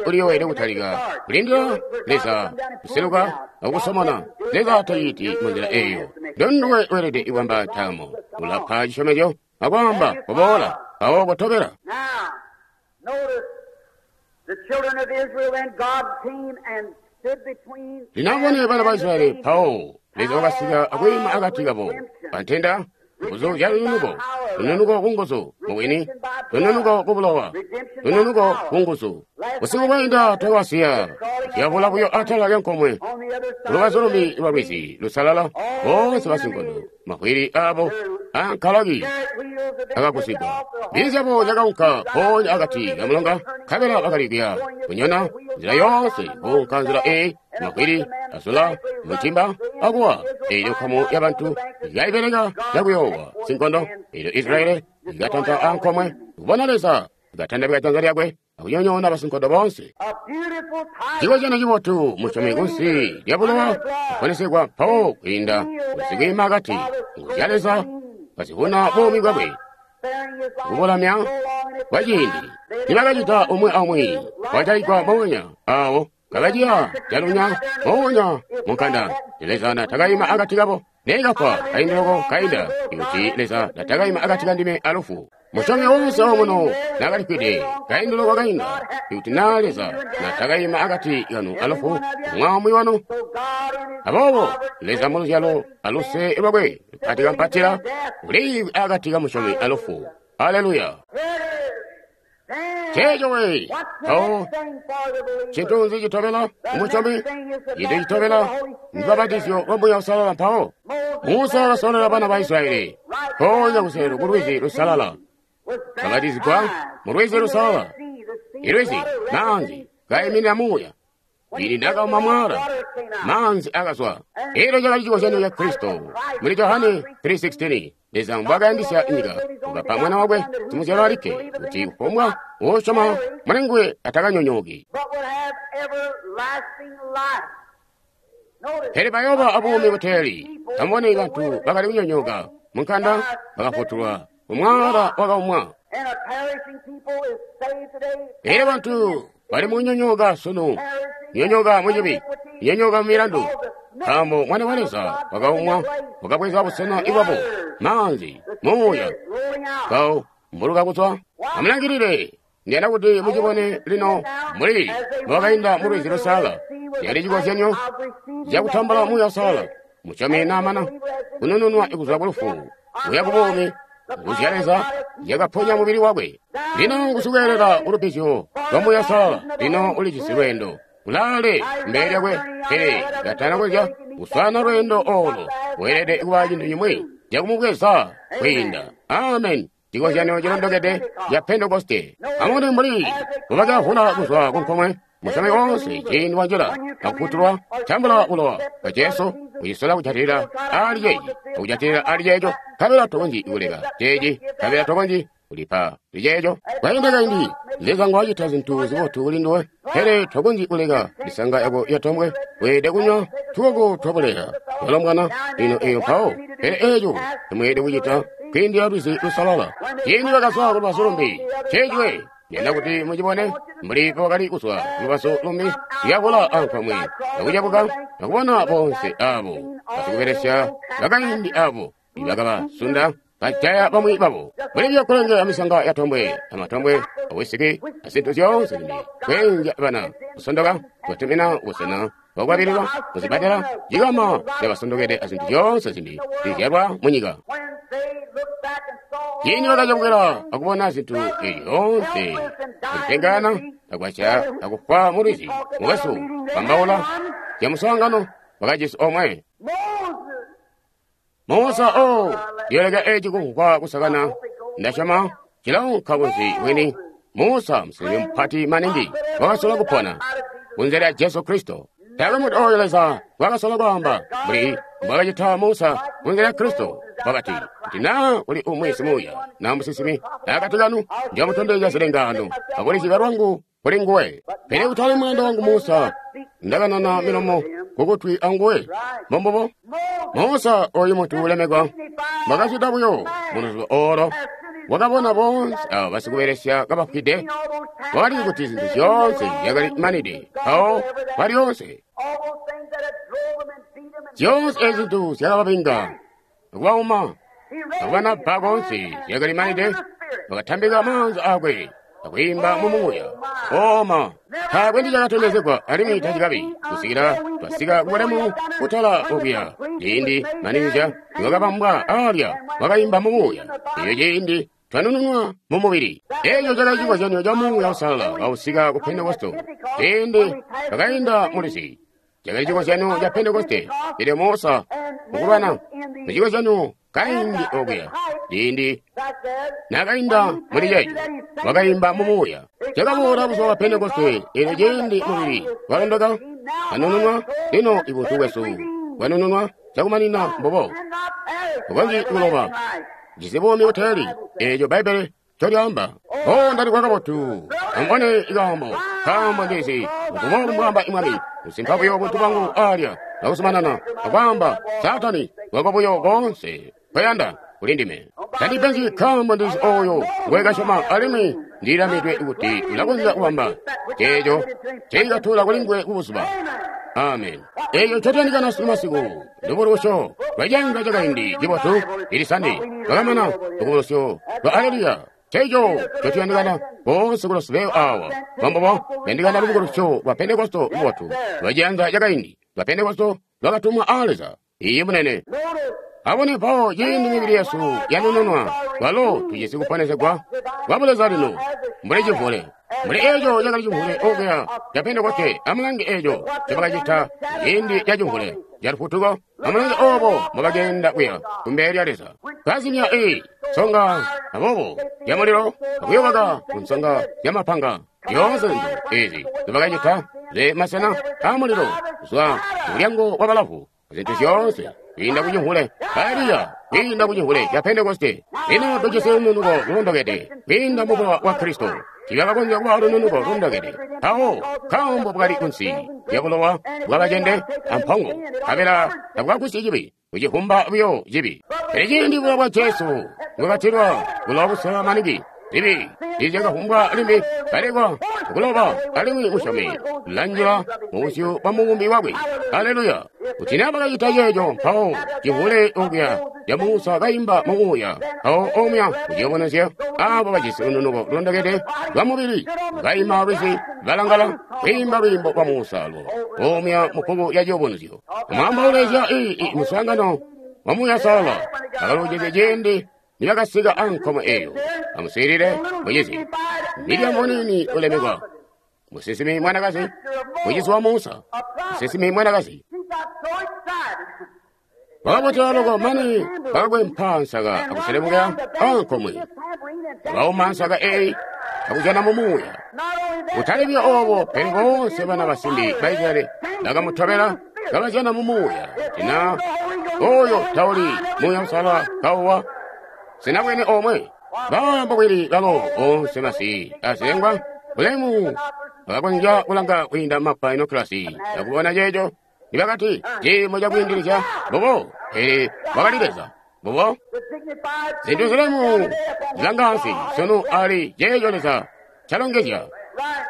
uliyoowede kutalika kulindila Leza kuseluka akukusomona. Leza taciti munzila eeyo. Ndonduwe weelede kubamba ntaamo. Ulapa cisyomezyo akwaamba kuboola mpawo kotobela. Now, notice the children of Israel and God came and stood between Lino amubone bana ba Israyeli mpawo Leza wakasika akwiima akati kabo pantenda, nguzu zya lununuko, lununuko ku nguzu mubwini, lununuko ku bulowa, lununuko ku nguzu. Busiku bwainda twakabasiya zyavula buyo atala lyankomwe on the other side. kulubazu lumbi lwa lwizi lusalala, boonse basinkondo, mavwili aabo ankalaki akagusigwa. Mbizi zyabo zyakaunka mpoonya akati kamulonga, nkabela bakali kuya kunyona nzila yoonse kuunka nzila eyi, mavwili azula mutimba akuwa. Eelyo nkamu yabantu yaibeleka cakuyoowa sinkondo. Eelyo Israyeli ikatanta ankomwe kubona Leza akatandabika janza lyakwe akunyonyoona basinkondo boonse. A beautiful type Chikozyano chibotu musyomi kunsi lya bulowa kuponesegwa mpawo kwiinda kusikwiima akati nguzu zya Leza kazivuna buumi bwakwe sparing his life kubulamya so long and kwa ciindi. Nibakacita umwi aumwi wajaigwa moonya aawo kabaciya calunya moonya munkanda. Leza natakaima akati kabo neekafwa kaindi loko kainda, ikuti Leza natakaima akati kandime alufu. Musyomi woonse omuno nakalifwide kaindi loko kainda, ikuti naa Leza natakaima akati kanu alufu, umwi wanu. So God in his Aboobo Leza muluzyalo aluse lwakwe lupati kampatila uliimvwi akati kamusyomi alufu. Aleluya! Then, Cheeco we! what's the Mpawo next thing for the believer? cintu nzi citobela umusyomi? Cintu citobela ndubapatizyo lwa Muuya Uusalala mpawo. Musa wakasololela bana ba Israyeli mpoonya kuselu ku lwizi lusalala. Was Babatizigwa baptized mu lwizi in the lusalala. Red Sea, the sea Ilwizi, water maanzi kaiminina muuya. Ili ndakauma mwala, maanzi akazwa. Elyo cakali cikozyanyo ca Kristo. Muli Johane 3:16, Leza mbwaakayandisya nyika, wakapa mwana wakwe simuzyalwa alikke, kuti kufumbwa uusyoma muli nguwe atakanyonyooki, but would have everlasting life. Notice, pele bayooba abuumi buteeli. Amubone bantu bakali kunyonyooka munkanda bakafutulwa, umwaala wakaumwa. and a perishing people is saved today. Elyo bantu bali mukunyonyooka sunu, kunyonyooka mucibi, kunyonyooka mu milandu, nkaambo Mwana wa Leza wakaumwa, wakabweza busena bwabo, maanzi, muuya, Rolling out. mpawo mbuluka kuzwa. Amulangilile, ndiyanda kuti mucibone lino mbuli mbwakainda mu lwizi lusalala. Cali cikozyanyo cakutambula Muuya Uusalala. Musyomi naamana kunununwa kuzwa ku lufu kuya ku buumi, nguzu zya Leza zyakaponya mubili wakwe. Lino kusukweelela kulubbizyo lwa Muuya Uusalala, lino ulijisi lweendo kulaale mbele lyakwe, pele katana konzya kuswaana lweendo oolo, weelede kuba cintu cimwi cakumubweza kwiinda. Amen. Cikozyanyo cilondokede ca Pentekoste. Amubone mbuli mbubakavula kuzwa kunkomwe. Musyomi woonse ciindi wanjila akufutulwa, tambula bulowa bwa Jesu, ucisola kujatilila ali ceeci, akujatilila ali ceeco, nkabela tokonzyi kuleka ceeci, nkabela tokonzyi kulipa liceeco. Kwainda kaindi, Leza ngwacita zintu zibotu kuli nduwe, pele tokonzyi kuleka misanga yako yatombwe. Weelede kunywa tukoko twabuleya walombwana lino eyo mpawo, pele eeco temweelede kucita kwiindila lwizi lusalala. Ciindi bakazwa kulubazu lumbi, ceeciwe yanda kuti mucibone mbuli bwakali kuzwa kulubazu lumbi, lyabula ankomwe akucabuka akubona bonse abo basikubelesya bakaindi abo ibakabasunda bajaya bamwi babo. Mbuli byakulenge amisanga yatombwe amatombwe awisiki azintu zyoonse zimbi kweenzya bana kusondoka kubatumina busena bwakukwabililwa kuzibadela cikama zyabasondokede azintu zyoonse zimbi zizyalwa munyika. Ciindi bakacabukila akubona zintu ezi zyoonse akupengana akwaca akufwa mulwizi, mukwesu kwambaula zyamuswaangano wakajisi omwe. Musa o ndiyoleka eci kumvwa kusakana, ndasyoma cilaunka kunsi wini. Musa musinsimi mupati maningi wakasola kupona kunze lya Jesu Kristo. Taakwe muntu oyo Leza wakasola kwaamba mbuli mbwakacita Musa kunze lya Kristo. Wakati, kuti naa kuli umwi simuuya naa musinsimi akati kanu, njomutondezya zilengaano akulizibya lwangu kuli nguwe. Pele kutali muyanda wangu Musa, ndakanana milomo kukutwi anguwe. Mbombubo Musa oyu muntu ulemekwa mbwakacita buyo muluzubo olo, wakabona bonse abo basikubelesya kabafwide. Wakali kuti zintu zyoonse zyakali manide mpawo kwalyoonse. Zyoonse ezi zintu zyakababinga akubauma akubanabba konse zyakali manide. Bakatambika maanza akwe akwiimba mumuuya oma. Taakwe ndicakatondezegwa alimwi tacikabi kusikila twasika kubulemu kutala okuya. Ciindi maninja niwakabambwa alya wakayimba mumuuya, eyo ciindi twanununwa mumubili. Eeco cakali cikozyanyo ca Muuya Uusalala kausika ku Pentekoste ciindi twakainda mulwizi. Cakali cikozyanyo ca Pentekoste, pele Musa mukulwana mucikozyanyo kaindi okuya. Ciindi naakainda muli ceeco, wakayimba mumuuya. Cakaboola buzuba bwa Pentekoste, eelyo ciindi mubili walondoka, anununwa, lino ibuntu bwesu bwanununwa cakumanina mbubo. Bukonzyi kuloba, jisi buumi buteeli, eeco Bbaibbele ncolyaamba. O ndalikwa kabotu, amubone ikaambo, nkaambo ndizi mbuboobu mbwaamba Mwami, kusimpa buyo buntu bwangu alya, akuzumanana akwaamba, Saatani wako buyo koonse kweyanda kuli ndime. Tandipenzyi nkaambo ndizi oyo ngwekasyoma alimwi ndilamidwe kuti ulakonzya kubamba ceeco ceikatula kuli nguwe kubuzuba. Amen. Eeco ncotuyandikana sunu masiku lubukulusyo lwaciyanza cakaindi cibotu ili Sande lwakamana lubukulusyo lwa aleluya. Ceeco ncotuyandikana boonse kulosibeo awa mbombubo tuyandikana lubukulusyo lwa Pentekosto lubotu lwaciyanza cakaindi lwa Pentekosto lwakatumwa a Leza. Iiyi munene. Abone mpawo ciindi mibili yesu yanununwa, kwalo tujisi kuponesegwa kwa buleza lino mbuli cimvule. Mbuli eeco cakali cimvule okuya ca Pentekoste, amulange eeco ncobakacita ciindi ca cimvule ca lufutuko, amulange oobo mbobakenda kuya kumbele lya Leza. Kazimya ii nsonga aboobo zyamulilo akuyobaka ku nsonga zyamapanga. Zyoonse zintu ezi nzobakacita ze masena aamulilo kuzwa mulyango wa balavu, zintu zyoonse kwiinda ku cimvule Eliya, kwiinda ku cimvule ca Pentekoste. Lino tujisi lununuko lulondokede kwiinda mu bulowa bwa Kristo. Tiibakakonzya kuba lununuko lulondokede mpawo nkaambo bwakali kunsi lya bulowa bwabacende ampongo, nkabela tabwakagwisyi cibi, kucivumba buyo cibi. Pele ciindi bulowa bwa Jesu bwakatilwa, bulowa busalala maningi, zibi tiizyakavumbwa limbi, kalekwa kuloba, alimwi musyomi ulanjila mubusyu bwa mubumbi wakwe. Aleluya! Kuti naa bakacita ceeco mpawo cimvule okuya ca Musa kaimba mumuuya, mpawo omuya kuciyubunuzyo abo bajisi lununuko lulondokede lwa mubili kaima lwizi balangala kwiimba lwiimbo lwa Musa lwo omuya mubbuku ya ciyubunuzyo. Amwaambaule zya ii muswaangano wa Muuya Uusalala bakaluujizye ciindi nibakasika ankomo eyo. Amuswiilile mucizi Miriamu muniini ulemekwa, musinsimi mwanakazi, mucizi wa Musa, musinsimi mwanakazi. Bakabotela loko mane bakakwempa nsaka akuselemukila ankomwe. Bakauma nsaka eyi akuzyana mu Muuya. Kutali buyo obo, pele boonse bana basimbi ba Israyeli bakamutobela kabazyana mu Muuya. Tina oyo tauli Muuya Uusalala kauwa sinabwene omwe. Baamba bwili balo onse masi azilengwa bulemu bakakonzya kulanga kwiinda mapa inokulasi akubona ceeco nibakati ciimo cakwiindilizya mbubo, pele wakali Leza mbubo. Zintu zilemu zilanga ansi sunu ali ceeco Leza calongezya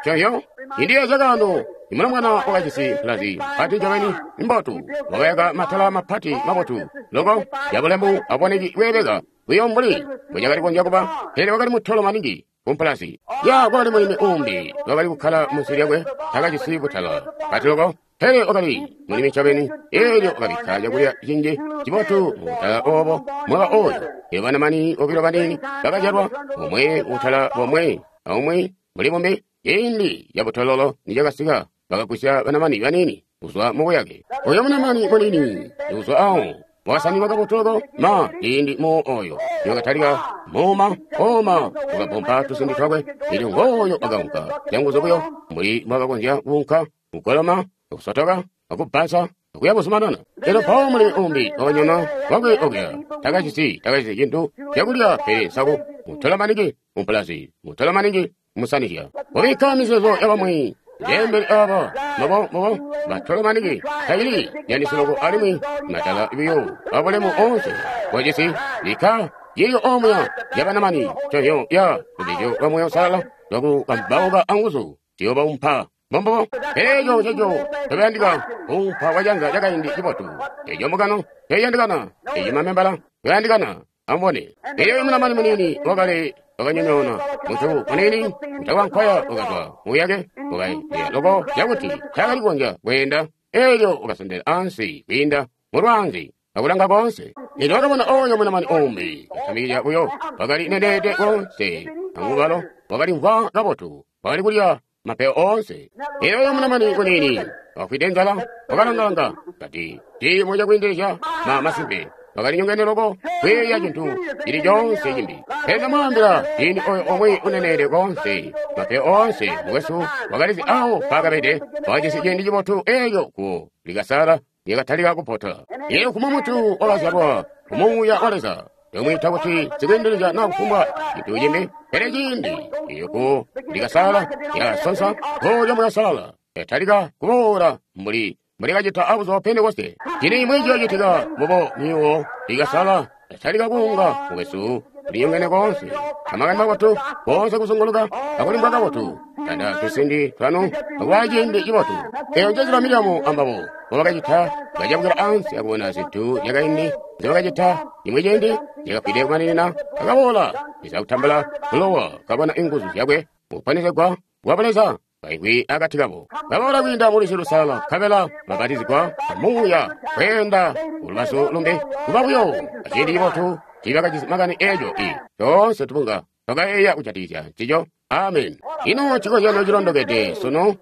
coyo. Indiya zyakaano imulomwana wakajisi mpulazi mpati ncobeni mbotu, wakayaka matala mapati mabotu loko yabulemu aboneki bweebeka buyo mbuli mbwecakali kukonzya kuba, pele wakali mutolo maningi kumpulazi. Ya kwakali mulimi uumbi wakali kukkala munsi lyakwe, takajisi butala pati loko, pele wakali mulimi ncobeni. Eelyo wakabikka cakulya cinji cibotu mubutala obo mwaka oyo. Elyo banamani bobilo baniini bakazyalwa, omwe mubutala bomwe aumwi muli bumbi. Ciindi cabutololo nicakasika, bakagwisya banamani baniini kuzwa mubuyake. Oyo munamani muniini kuzwa awo wakasaninwa kabotu loko ma ciindi muwo oyo niwakatalika muuma oma wakapompa tusindi twakwe. Elyo ngooyo wakaunka canguzu buyo mbuli mbwakakonzya kuunka, kugoloma, kusotoka, akubbansa, akuya buzumanana. Elyo mpawo mulimi umbi wakanyona wakwe okuya, takajisi cintu cakulya pele nsaku. Mutolo maningi mumpulazi, mutolo maningi musanizya. Ubikka mizeezo yabamwi jembeli aba mabo mabo batolo maningi tacili yandisi loko alimwi matala buyo abulemu onse bwajisi bikka yiyo omuya yabanamani coyo ya lubizyo lwa Muuya Uusalala lwakukambauka anguzu ziyobaumpa mbombobo. Eeco nceco tobayandika kuumpa kwacanza cakaindi cibotu. Eco mbungano toyandikana, eco mamembala toyandikana. Amubone, elyo munamani muniini wakali wakanyonyoona muntu muniini utakwankwaya wakazwa muyake wakayeeya loko cakuti taakali kukonzya kweenda. Elyo wakasondela ansi kwiinda mulwaanzi akulanga koonse. Elyo wakabona oyo munamani umbi kasamikizya buyo, wakali neneede koonse amubalo, wakalimvwa kabotu, wakali kulya mapeyo oonse. Elyo oyo munamani muniini wafwide nzala wakalangalanga kati ciimo cakwiindilizya ma masimpe wakali nyongene loko kwiiya cintu cili coonse cimbi. Pele ndamwaambila, ciindi oyo omwe uneneede koonse mapeyo oonse mukwesu wakalizi awo mpaakabede, wakajisi ciindi cibotu. Elyo guwo likasala lyakatalika kupota. Elyo kumwi muntu wakazyalwa ku Muuya wa Leza tomwiita kuti sikwiindilizya naa kufumbwa cintu cimbi, pele ciindi elyo guwo likasala lyakasonsa guwo lya Muuya Uusalala lyatalika kuboola mbuli kacita abuzuba Pentekoste. Cini imwi ciyoocitika mubo myuwo likasala yatalika kuunga mukwesu linyongene koonse amakani mabotu koonse kuzunguluka akulimbwa kabotu tanda tusindi twanu akuba ciindi cibotu. Eyo njenzila Miriamu ambabo mbobakacita, bacabukila ansi akubona zintu zyakaindi nzibakacita. Cimwi ciindi zyakafwide kumaninina, akaboola iza kutambula bulowa, kabona inguzu zyakwe mukuponesegwa kwa Buleza kaingwi akati kabo. Baboola kwiinda mu Lwizi Lusalala, nkabela babatizigwa Muuya kweenda kulubazu lumbi. Kuba buyo aciindi cibotu tiibakajisi makani eeco i toonse tubunga twakayeeya kujatikizya ncico. Amen. Ino cikozyano cilondokede sunu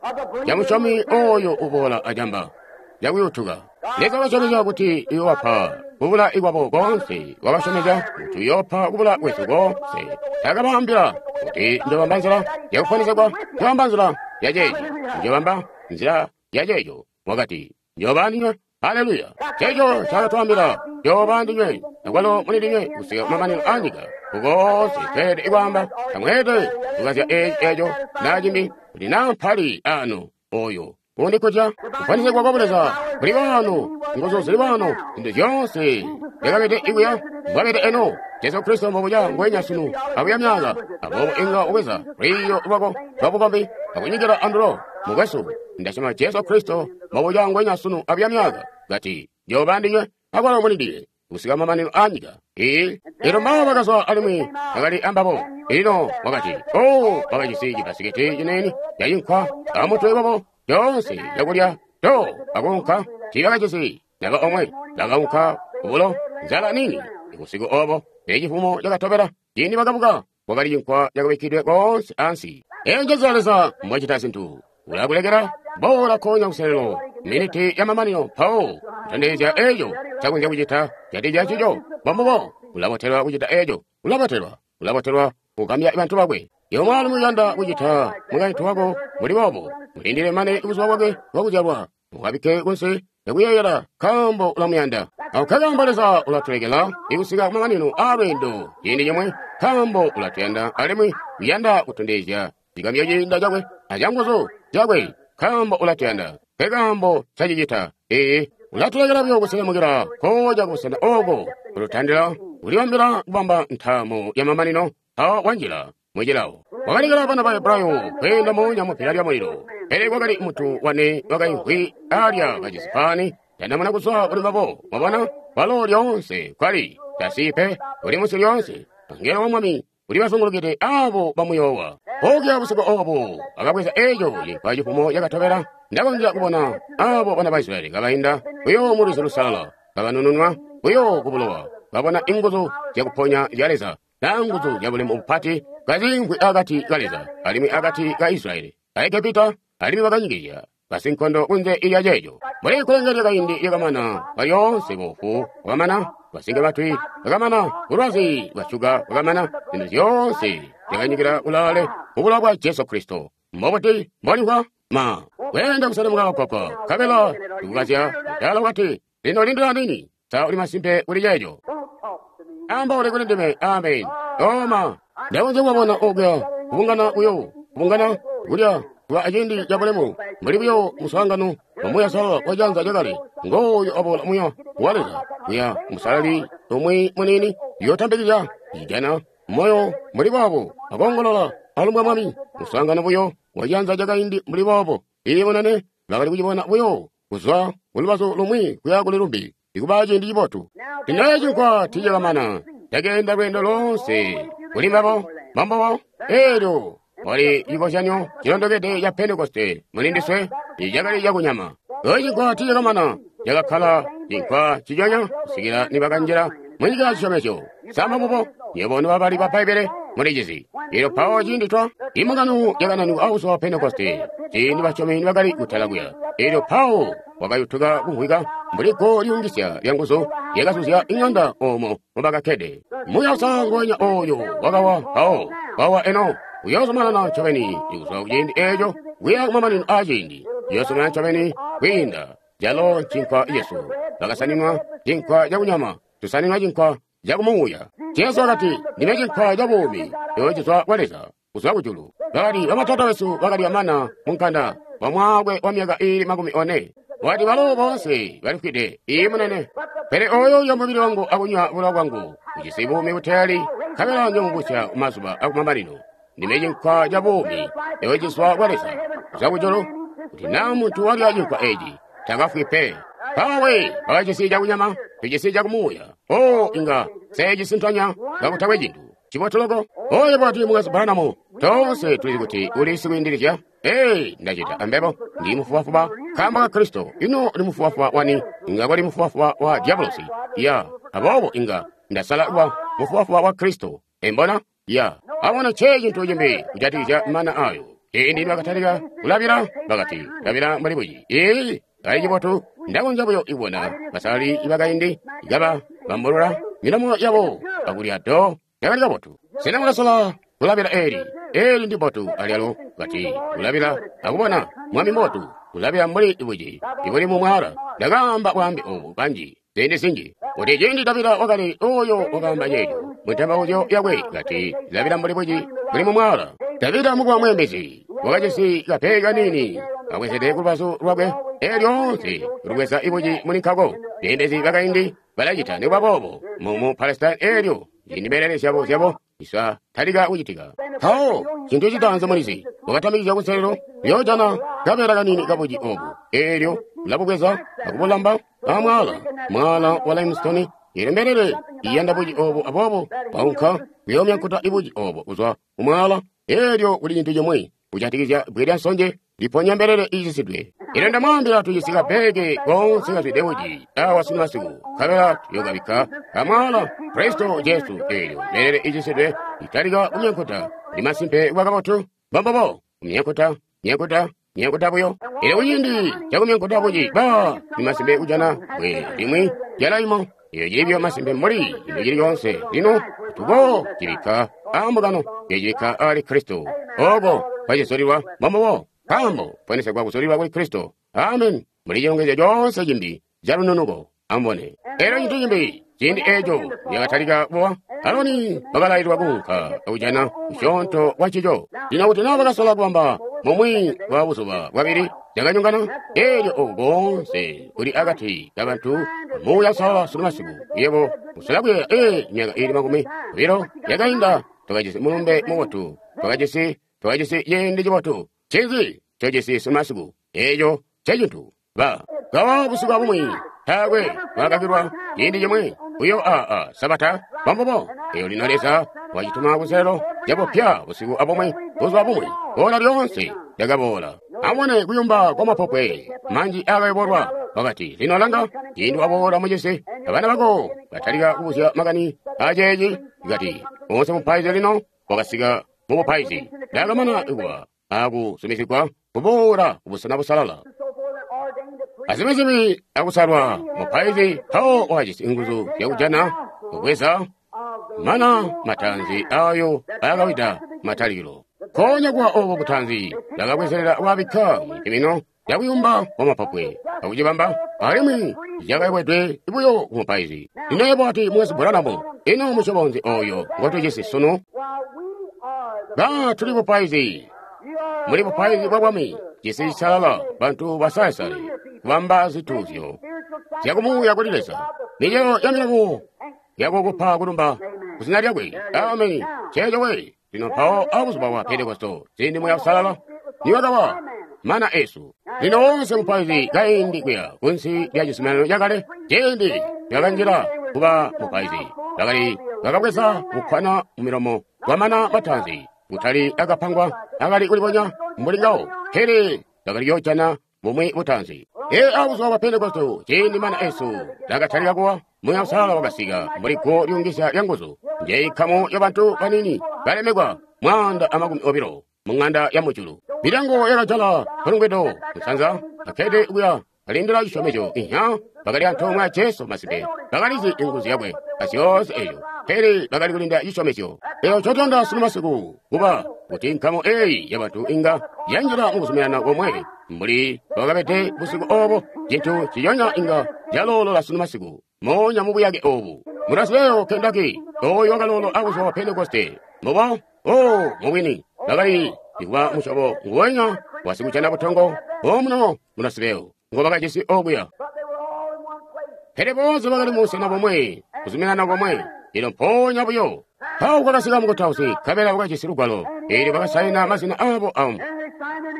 ca musyomi oyo uboola acamba cakuyutuka. Leza wakasyomezya kuti uyoobapa kubula kwabo koonse. Wakasyomezya kuti uyoopa kubula kwesu koonse. Takabaambila kuti njoobamba nzila yakuponesegwa, njoobamba nzila yaceeci, njoobamba nzila yaceeco. Wakati, njooba andinywe. Haleluya! Ceeco ncaakatwaambila, njooba andinywe, akwalo muli ndinywe kusika kumamanino aanyika. Kukoonse tweelede kwaamba, tamweelede kukazya eeci eeco naa cimbi, kuti naa mpali ano oyo undikutya. Kuponesegwa kwa Buleza kuli waano, nguzu zili waano, zintu zyoonse zyakabede ikuya mbwabede eno. Jesu Kristo mbobuca ngwenya sunu abuya myaaka. Aboobo inga ubweza lwiiyo lwako lwabukombi akunyikila andulo. Mukwesu, ndasyoma Jesu Kristo mbobuca ngwenya sunu abuya myaaka. Kati, njooba andinywe akwalo muli ndinywe kusika mamanino aanyika. Ee, elyo mbabo bakazwa alimwi bakali ambabo. Lino wakati, oh, bakajisi cibasikiti ciniini cacinkwa amutwe wabo coonse cakulya to akuunka. Tiibakajisi naba omwe. Bakaunka kubulo nzala nini busiku obo. Pele cifumo cakatobela ciindi bakabuka, kwakali cinkwa cakabikkidwe koonse ansi. Eyo njenzila Leza mbwacita zintu. Ulakulekela boola konya kuselelo miniti ya mamanino mpawo kutondezya eco ncakonzya kucita jatija ncico. Mbombubo, ulabotelwa kucita eco. Ulabotelwa, ulabotelwa kugambya bantu bakwe. Iwe mwaalumi uyanda kucita mukaintu wako mbuli boobo, mulindile mane buzuba bwakwe bwakuzyalwa, ukabikke kunsi lyakuyeeyela nkaambo ulamuyanda. Ako nkakaambo Leza ulatulekela ikusika kumamanino aalweendo ciindi cimwi, nkaambo ulatuyanda alimwi uyanda kutondezya cigambyo ciinda cakwe acanguzu cakwe, nkaambo ulatuyanda. Nkekaambo ncacicita. Ee, ulatulekela buyo kuselemukila koja kubusena ooko kututandila kulibambila kubamba ntaamo yamamanino mpawo wanjila mucilawo. Wakalekela bana ba Hebrayo kweenda moonya mupila lya mulilo, pele kwakali muntu wane wakaimvwi alya kajisi paani tandamuna kuzwa kuli mbabo. Mwabona, walo lyoonse kwali tasipe uli munsi lyoonse. Angelo wa Mwami uli bazungulukide abo bamuyoowa. Okuya busiku obo akabweza eco cinkwa cifumo cakatobela. Ndakonzya kubona abo bana ba Israyeli kabainda buyo mu lwizi lusalala, kabanununwa buyo ku bulowa, babona inguzu zyakuponya zya Leza na nguzu zya bulemu bupati kaziimvwi akati ka Leza alimwi akati ka Israyeli a Egepita, alimwi bakanyikizya basinkondo kunze ilya ceeco. Mbuli kkulenge lyakaindi lyakamana, balyoonse boofu bwakamana, basinke matwi bakamana, bulwazi bwa shuga bwakamana, zintu zyoonse zyakanyikila kulaale mu bulowa bwa Jesu Kristo. Mbobuti mbolimvwa? Ma kweenda kuselemuka kagwagwa, nkabela sikukazya mudaala wakati, Lino lindila niini, sa uli masimpe kuli ceeco? Ambaule kuli ndime. Amen. Oma, ndakonzya kubabona okuya kubungana buyo, kubungana kulya kuba aciindi cabulemu, mbuli buyo muswaangano wa Muuya Uusalala wa janza lyakale. Ngooyo aboola Muuya wa Leza kuya musalali umwi muniini, uyotambikizya cijana moyo mbuli boobo, akoongolola alumbwa Mwami. Muswaangano buyo wa janza lyakaindi mbuli boobo. Iye munene, bakali kucibona buyo kuzwa kulubazu lumwi kuya kuli lumbi, ikuba ciindi cibotu. Lino cinkwa tiicakamana, cakeenda lweendo loonse kuli mbabo, mbambobo. Eelyo wali cikozyanyo cilondokede ca Pentekoste muli ndiswe, icakali cakunyama. Eco cinkwa tiicakamana, cakakkala cinkwa nciconya kusikila nibakanjila munyika ya cisyomezyo. Sa mbubo? Nywebo nobabali ba Bbaibbele mulicizi. Elyo mpawo ciindi twa imbungano yakananikwa abuzuba bwa Pentekoste, ciindi basyomi nibakali kutala kuya, elyo mpawo wakayutuka kumvwika mbuli go lyuungisya lyanguzu lyakazuzya iŋanda oomo mobakakkede. Muuya Uusalala nguwenya ooyo wakawa mpawo, wawa eno, uyoozumanana ncobeni kuzwa kuciindi eeco kuya kumamanino aaciindi, uyoozumanana ncobeni kwiinda. Calo ncinkwa cesu. Bakasaninwa cinkwa cakunyama, tusaninwa cinkwa cakumuuya. Jesu wakati, Ndime cinkwa ca buumi, eco cizwa kwa Leza, kuzwa kujulu. Bakati, Bamatata besu bakalya mana munkanda kwa mwaakwe wa myaka iili 40. Wakati, Balo boonse balifwide. Iiyi, munene. Pele oyo uulya mubili wangu akunywa bulowa bwangu ujisi buumi buteeli, nkabela njoomubusya kumazuba akumamanino. Ndime cinkwa ca buumi, eco cizwa kwa Leza, kuzwa kujulu. Kuti naa muntu walya cinkwa eeci, takafwi pe. Mpaawe bakajisi cakunyama, tujisi cakumuuya. Oh, inga nseecisintanya kakutakwe cintu. Ncibotu loko. Oyo bwati Mukwesu Branham, toonse tulizi kuti uli sikwiindilizya. Ee, Nda cita ambebo. Ndi mufubafuba nkaambo ka Kristo. Ino uli mufubafuba wani? Inga koli mufubafuba wa dyabulosi. Ya. Aboobo inga Ndasala kuba mufubafuba wa Kristo. Embona? Ya. Abona nce cintu cimbi kujatikizya mana ayo. Ciindi nibakatalika kulabila, bakati, Labila mbuli buci. Ee, kali cibotu. Ndakonzya buyo kubona basalali bakaindi kaba bambulula milomo yabo akulya do. Cakali kabotu. Sena mwakasola kulabila eli? Eli ndi bbotu alyalo. Kati, kulabila akubona Mwami mbotu, kulabila mbuli buci ibuli mu mwaala. Ndakaamba bwaambe obu kanji, ziindi zinji, kuti ciindi Davida wakali oyo wakaamba ceeco mu ntembauzyo yakwe, kati, labila mbuli buci buli mu mwaala. Davida mukuba mweembezi, wakajisi kapeyi kaniini kabwezede kulubazu lwakwe, elyo lyoonse lubweza buci muli nkako. Beembezi bakaindi balacita nikuba boobo mu Palestine elyo ciindi mbelele zyabo zyabo zisa talika kucitika. Mpawo cintu citaanzi mulizi, wakatamikizya kunselelo, uyoojana kabeela kaniini kabuci obu, elyo ulabubweza akubulamba amwaala, mwaala wa limestone. Elyo mbelele iyanda buci obu, aboobo waunka kuyoomyankuta buci obo kuzwa ku mwaala. Elyo kuli cintu cimwi kujatikizya bbwe lya nsonje liponya mbelele iicisidwe. Elyo ndamwaambila, tujisi kabbeeke koonse kazwide buci awa sunu masiku, nkabela tuyokabikka amwaala Kristo Jesu. Elyo mbelele iicisidwe italika kumyankuta. Ndi masimpe kuba kabotu. Mbombubo, kumyankuta, myankuta, myankuta buyo. Elyo kuciindi cakumyankuta buci, baa, ndi masimpe kujana bbwe limwi lyalaimo. Eyo cili buyo masimpe mbuli cintu cili coonse. Lino tuko cibikka aa mbungano, eyo cibikka aali Kristo. Oko kwacisulilwa mbombubo, nkaambo ponesegwa kusulilwa kuli Kristo. Amen. Mbuli cilongezyo coonse cimbi ca lununuko. Amubone. Elyo cintu cimbi, ciindi eco lyakatalika kuwa, Aroni wakalaililwa kuunka akujana musyoonto wa ncico. Lino kuti naa bakasola kubamba mumwi wa buzuba bwabili, cakanyongana. Elyo oku koonse kuli akati ka bantu Muuya Uusalala sunu masiku. Yebo usola kuyeeya, ee, myaka iili 20 yakainda twakajisi mulumbe mubotu, twakajisi ciindi cibotu. Ncinzi ncojisi sunu masiku? Eeco ncecintu. Ba kawa busiku abumwi, taakwe wakakilwa ciindi cimwi buyo aa Sabata bambubo. Eyo lino Leza wacituma kunselelo cabupya busiku abumwi, buzuba bumwi, boola lyoonse lyakaboola. Amubone kuyumba kwa mapopwe manji akayobolwa. Wakati, lino langa, ciindi waboola mucisi, abana bako batalika kubuzya makani aceeci. Kati, oonse mupaizi lino wakasika mu bupaizi. Ndakamana kuba akuzumizigwa kuboola kubusena busalala. Azimizimi akusalwa mupaizi, mpawo wakajisi nguzu zyakujana kubweza mana matanzi ayo akawida matalikilo. Konya kuwa obo butanzi bakabwezelela wabikka mu cimino cakuyumba kwa mapopwe akucibamba, alimwi cakayobwedwe buyo ku mupaizi. Lino yebo wati, Mukwesu Branham, ino musyobo nzi oyo ngotujisi sunu? Ba tuli bupaizi, muli bupaizi bwa bwami, cisi cisalala, bantu basalesale, kubamba zituuzyo zyakumuuya kuli Leza, micelo ya milomo yakukupa kulumba kuzina lyakwe. Ameni. Ceeco we. Lino mpawo abuzuba bwa Pentekosto, ciindi Muuya Uusalala niwakawa mana esu. Lino wonse mupaizi kaindi kuya kunsi lya cizuminano cakale, ciindi lyakanjila kuba mupaizi, bakali bakabweza bukkwana mu milomo bwamana matanzi, kutali akapangwa akali kulibonya mbuli ngawo, pele bakali yoojana bumwi butanzi. Ee, abuzuba bwa Pentekosto, ciindi mana esu lakatalika kuwa, Muuya Uusalala wakasika mbuli guwo lyuungisya lya nguzu. Njeyi nkamu ya bantu banini balemekwa 120 mu ng'anda ya mujulu. Milyango yakajala mpulungwido musanza, bakkede kuya balindila cisyomezyo. Inha, bakali antoomwe a Jesu masimpe, bakalizi inguzu yakwe azyoonse eyo, pele bakali kulinda cisyomezyo. Eyo ncotuyanda sunu masiku kuba kuti nkamu eyi yabantu inga yanjila mukuzuminana komwe mbuli bwakabede busiku obo, cintu ciyonya inga caloolola sunu masiku moonya mu buyake obu. Murasibeo Kentucky, oyo wakaloolo abuzuba bwa Pentekoste. Mubo, oh, mubwini, bakali kuba musyobo nguwenya wasikujana butongo omuno Murasibeo ngo bakajisi okuya. Pele boonse bakali mubusena bomwe, kuzuminana komwe. Lino mpoonya buyo mpawo kwakasika mukutausi, nkabela wakajisi lugwalo, eelyo bakasaina mazina abo amu.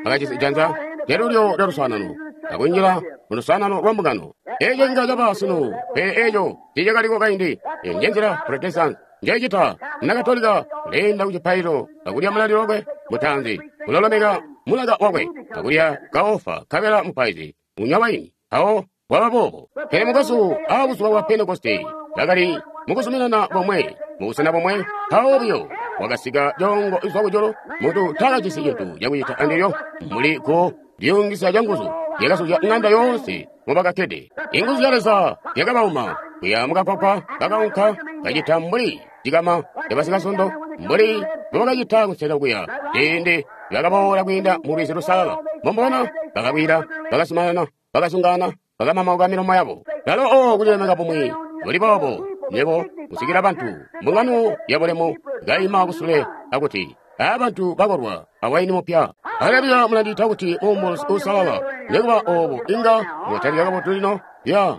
Bakajisi janza lyalulyo lya luswaanano, akunjila mu luswaanano lwa mbungano. Eco inga caba sunu, pele eco tiicakaliko kaindi. Eyo njenzila Protestant njoicita. Muna Katolika uleenda ku cipaililo akulya mulalilo wakwe mutaanzi, ulolomeka mulaka wakwe akulya kaofa, nkabela mupaizi unywa waini. Mpawo bwaba boobo. Pele mukwesu, abuzuba bwa Pentekoste bakali mukuzuminana bomwe, mubusena bomwe. Mpawo buyo wakasika coongo izwa kujulu, muntu taakajisi cintu cakucita andilyo, mbuli guwo lyuungisya canguzu lyakasuzya ng'anda yoonse mobakakkede. Inguzu zya Leza zyakabauma kuya mukakwakwa, bakaunka kacita mbuli cikama cabasikasondo, mbuli mbobakacita kunsela kuya ciindi bakaboola kwiinda mu Lwizi Lusalala. Mbomubona, bakakwila, bakasumanana, bakasungana, bakamamauka milomo yabo. Lalo o kulilemeka bumwi buli boobo, nywebo kusikila bantu mbungano yabulemu kaima kusule akuti, abantu bakolwa awaini mupya. Haleluya, mulandiita kuti muumbuzi uusalala. Nikuba oobo inga mwatalika kabotu lino. Ya.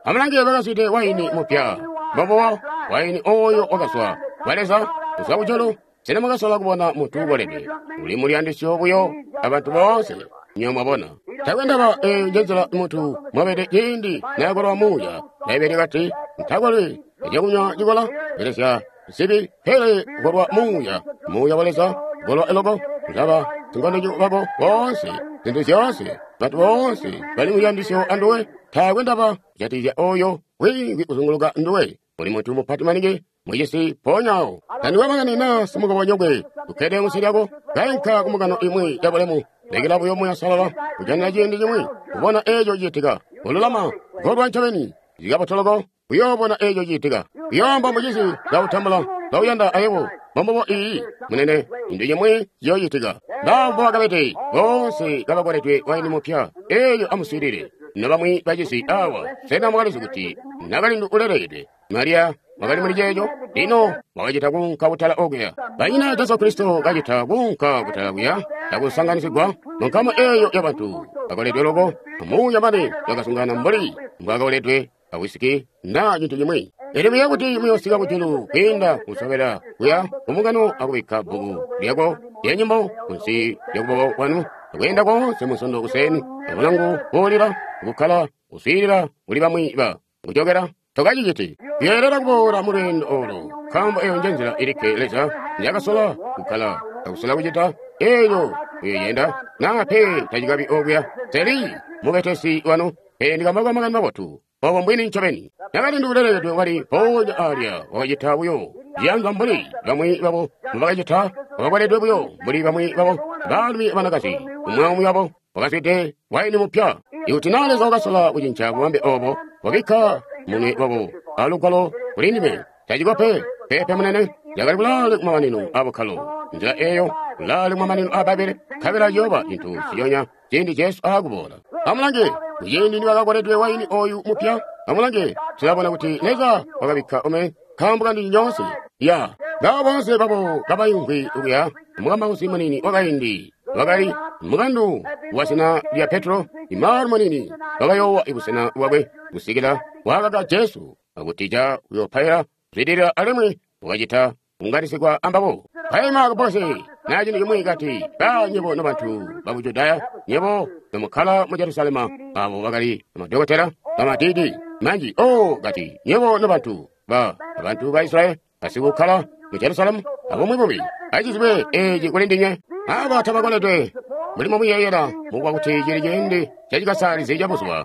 Amulange bakazwide waini mupya. Mbobuwa waini ooyo wakazwa kwa Leza kuzwa kujulu. Sena mwakasola kubona muntu ukoledwe uli muliyandisyo buyo abantu boonse? Nywebo mwabona, taakwe ndaba eeyo njenzila muntu mwabede ciindi nayakolwa muuya. Bbaibbele kati, ntakolwi acakunywa cikola, belesya zibi, pele kukolwa muuya, muuya wa Leza, kukolwa loko, kulaba sinkondo bako boonse, zintu zyoonse, bantu boonse bali muyandisyo anduwe. Taakwe ndaba kujatikizya oyo wiimvwi kuzunguluka nduwe, uli muntu mupati maningi mucisi mpoonya awo. Tandikwe makani naa simukobonyokwe ukkede munsi lyako, kainka kumbungano imwi yabulemu, lekela buyo Muuya Uusalala kujanina ciindi cimwi kubona eeco cicitika. Kululama, kukolwa ncobeni, zikabotoloko. Uyoobona eco ciitika. Uyoomba mucizi kautambula, kauyanda ayebo. Mbombubo iyi, munene, cintu cimwi ciyoocitika. Mbambo bakabete, boonse kabakoledwe waini mupya. Elyo amuswiilile. Nobamwi bacisi awa, sena mwakalizi kuti nakalindu ulelekedwe Mariya wakali muli ceeco? Lino wakacita kuunka kutala okuya. Banyina Jesu Kristo kacita kuunka kutala kuya, akusanganisigwa mu nkamu eyo yabantu bakoledwe loko, amuuya mane bakasungana mbuli mbwakakoledwe awisiki na cintu cimwi. Elyo muyeeya kuti muyoosika kujulu kwiinda kusobela kuya kumbungano akubikka bbuku lyako lya nyimbo kunsi lya kuboko kwanu, akweenda koonse Munsondo kuseeni, abulangu buulila, kukkala kuswiilila kuli bamwi ba kujokela. Tokaciciti. Uyeelela kuboola mu lweendo olo, nkaambo eyo nje nzila ilikke Leza njakasola kukkala akusola kucita. Eyo uyoyenda naa pe tacikabi okuya. Teli mubetesi wanu, pele ndikambauka makani mabotu. Obo mbwini ncobeni. Nakalindu ulelekedwe wali mpoonya alya wakacita buyo ciyanza mbuli bamwi babo mbubakacita, wakakoledwe buyo mbuli bamwi babo, baalumi abanakazi, umwi aumwi wabo wakazwide waini mupya. Ikuti na Leza wakasola kucinca bubambe obo, wabikka munwe wabo a lugwalo kuli ndime, taciko pe, peepe munene, yakali kulaale kumamanino a bukkalo, nzila eyo, kulaale kumamanino a Bbaibbele, nkabela ciyooba cintu nciconya ciindi Jesu aakuboola. Amulange, kuciindi nibakakoledwe waini oyu mupya, amulange, tulabona kuti Leza wakabikka ome nkaambo kandinywe nyoonse. Ya, ngabo boonse babo kabaimvwi okuya, mukambausi muniini wakaindi wakali mukandu wa zina lya Petro, imaalu muniini wakayoowa busena bwakwe kusikila waakaka Jesu akutija kuyopaila kuzwidilila alimwi wakacita kunganisigwa ambabo. Kaima kabosi na cintu cimwi kati, ba nyebo nobantu baku Judaya, nyebo nomukkala mu Jerusalema, abo bakali bamadokotela, bamadidi manji, oh, kati, nyebo nobantu ba bantu ba Israyeli, basikukkala mu Jerusalemu, abumwi bubi, acizibwe eci kuli ndinywe. Aba tabakoledwe mbuli mumuyeeyela mukuba kuti cili ciindi cacikasalizi cabuzuba.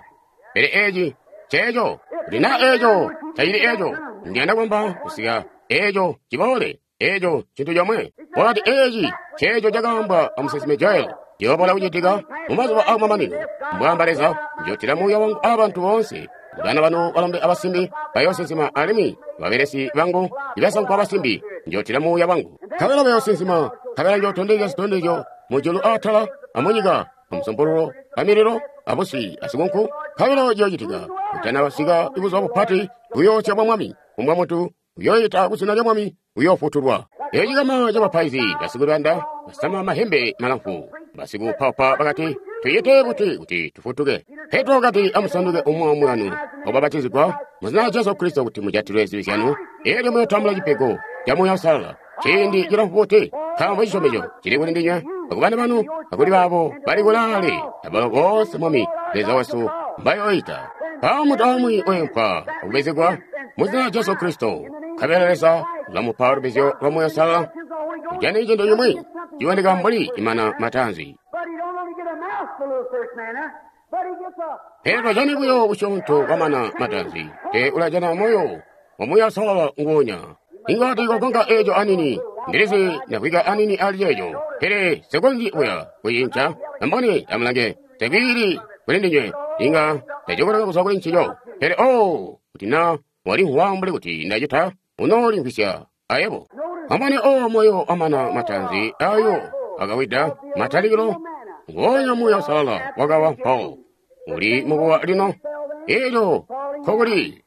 Pele eci nceeco. Kuti naa eco tacili eco, ndiyanda kwamba kusika eco ciboole. Eco cintu comwe. Wakati eci nceeco cakaambwa amusinsimi Joel. Ciyoobola kucitika mumazuba aakumamanino, mbwaamba Leza, njootila muuya wangu aabantu boonse. Bana banu balombe abasimbi bayoosinsima, alimwi babelesi bangu ibasankwa abasimbi njootila muuya wangu. Nkabela bayoosinsima, nkabela njootondezya zitondezyo mujulu aatala amunyika, amusumpululo amililo abusi asikunku. Nkabela ciyoocitika kutanasika buzuba bupati buyoosya bwa Mwami, kufumbwa muntu uyooita kuzina lya Mwami uyoofutulwa. Eco cikama cabapaizi basikulanda basama mahembe malamfu basikuupaupa bakati, Tuyite buti kuti tufutuke? Petro wakati, Amusanduke umwi aumwi wanu akubapatizigwa muzina lya Jesu Kristo kuti mujatilwe zibi zyanu, elyo muyootambula cipego ca Muuya Uusalala. Ciindi cilamfu buti? Nkaambo cisyomezyo cili kuli ndinywe, akubana banu, akuli baabo bali kulaale, abalo boonse Mwami Leza wesu mbayooita. Mpawo muntu aumwi weempwa akubezegwa muzina lya Jesu Kristo, nkabela Leza ulamupa lubizyo lwa Muuya Uusalala. Kujana cintu cimwi ciboneka mbuli imana mataanzi. Pele tajani buyo kusyoonto kwamana mataanzi, pele ulajana moyo wa Muuya Uusalala nguonya. Inga tiikogonka eeco anini, ndilizi ndakwika anini ali ceeco, pele nsikonzyi buya kucinca. Amubone, amulange, takwiili kuli ndinywe, inga ndajokoleka kuzwa kuli ncico. Pele oh, kuti na walimvwa mbuli kuti ndacita, unoolimvwisya ayebo. Amubone, oh, moyo wamana mataanzi ayo akawida matalikilo, nguonya Muuya Uusalala wakawa mpawo. Uli mukuwa lino, elyo nkokuli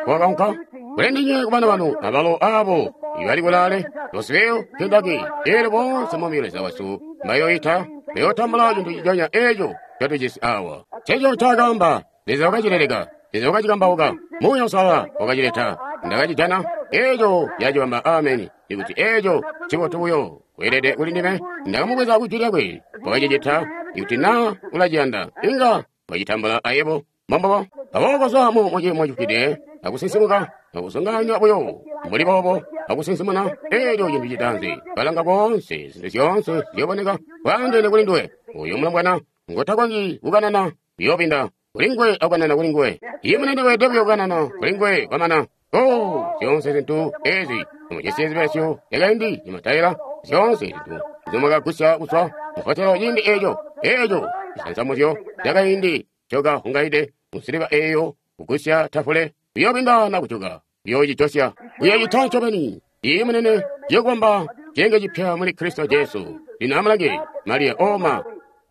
kwakaunka kuli ndinywe kubana banu abalo abo ibali kulaale, Louisville, Kentucky, elyo boonse Mwami Leza wesu mbayoita, bayootambula cintu nciconya eco ncotujisi awa. Nceco ncaakaamba. Leza wakacileleka. Leza wakacikambauka. Muuya Uusalala wakacileta. Ndakacijana. Eco yacibamba. Ameni. Ikuti eco ncibotu buyo kweelede kuli ndime, ndakamubweza ku Jwi lyakwe. Wakacicita. Ikuti na ulaciyanda, inga wacitambula ayebo. Mbombubo. Aboobo kozwa mu ciimo cifwide, akusinsimuka, akusunganya buyo mbuli boobo, akusinsimuna eco cintu citaanzi. Kalanga koonse, zintu zyoonse ziyoboneka bwaandeene kuli nduwe. Oyo mulombwana ngotakonzyi kukanana uyoobinda kuli nguwe akukanana kuli nguwe. Iye munene weelede buyo kukanana kuli nguwe kwamana. Oh, zyoonse zintu ezi mujisi zibelesyo zyakaindi zimataila, zyoonse zintu nzimwakagusya kuzwa mu hotelo ciindi eco, eco cisansamuzyo cakaindi ncoka hungaide musiliva eyo kugusya tafule. Uyobindana kujuka. Uyocijosya. Uyocita ncobeni. Iyi munene ciyokubamba cenge cipya muli Kristo Jesu. Lino amulange Mariya oma.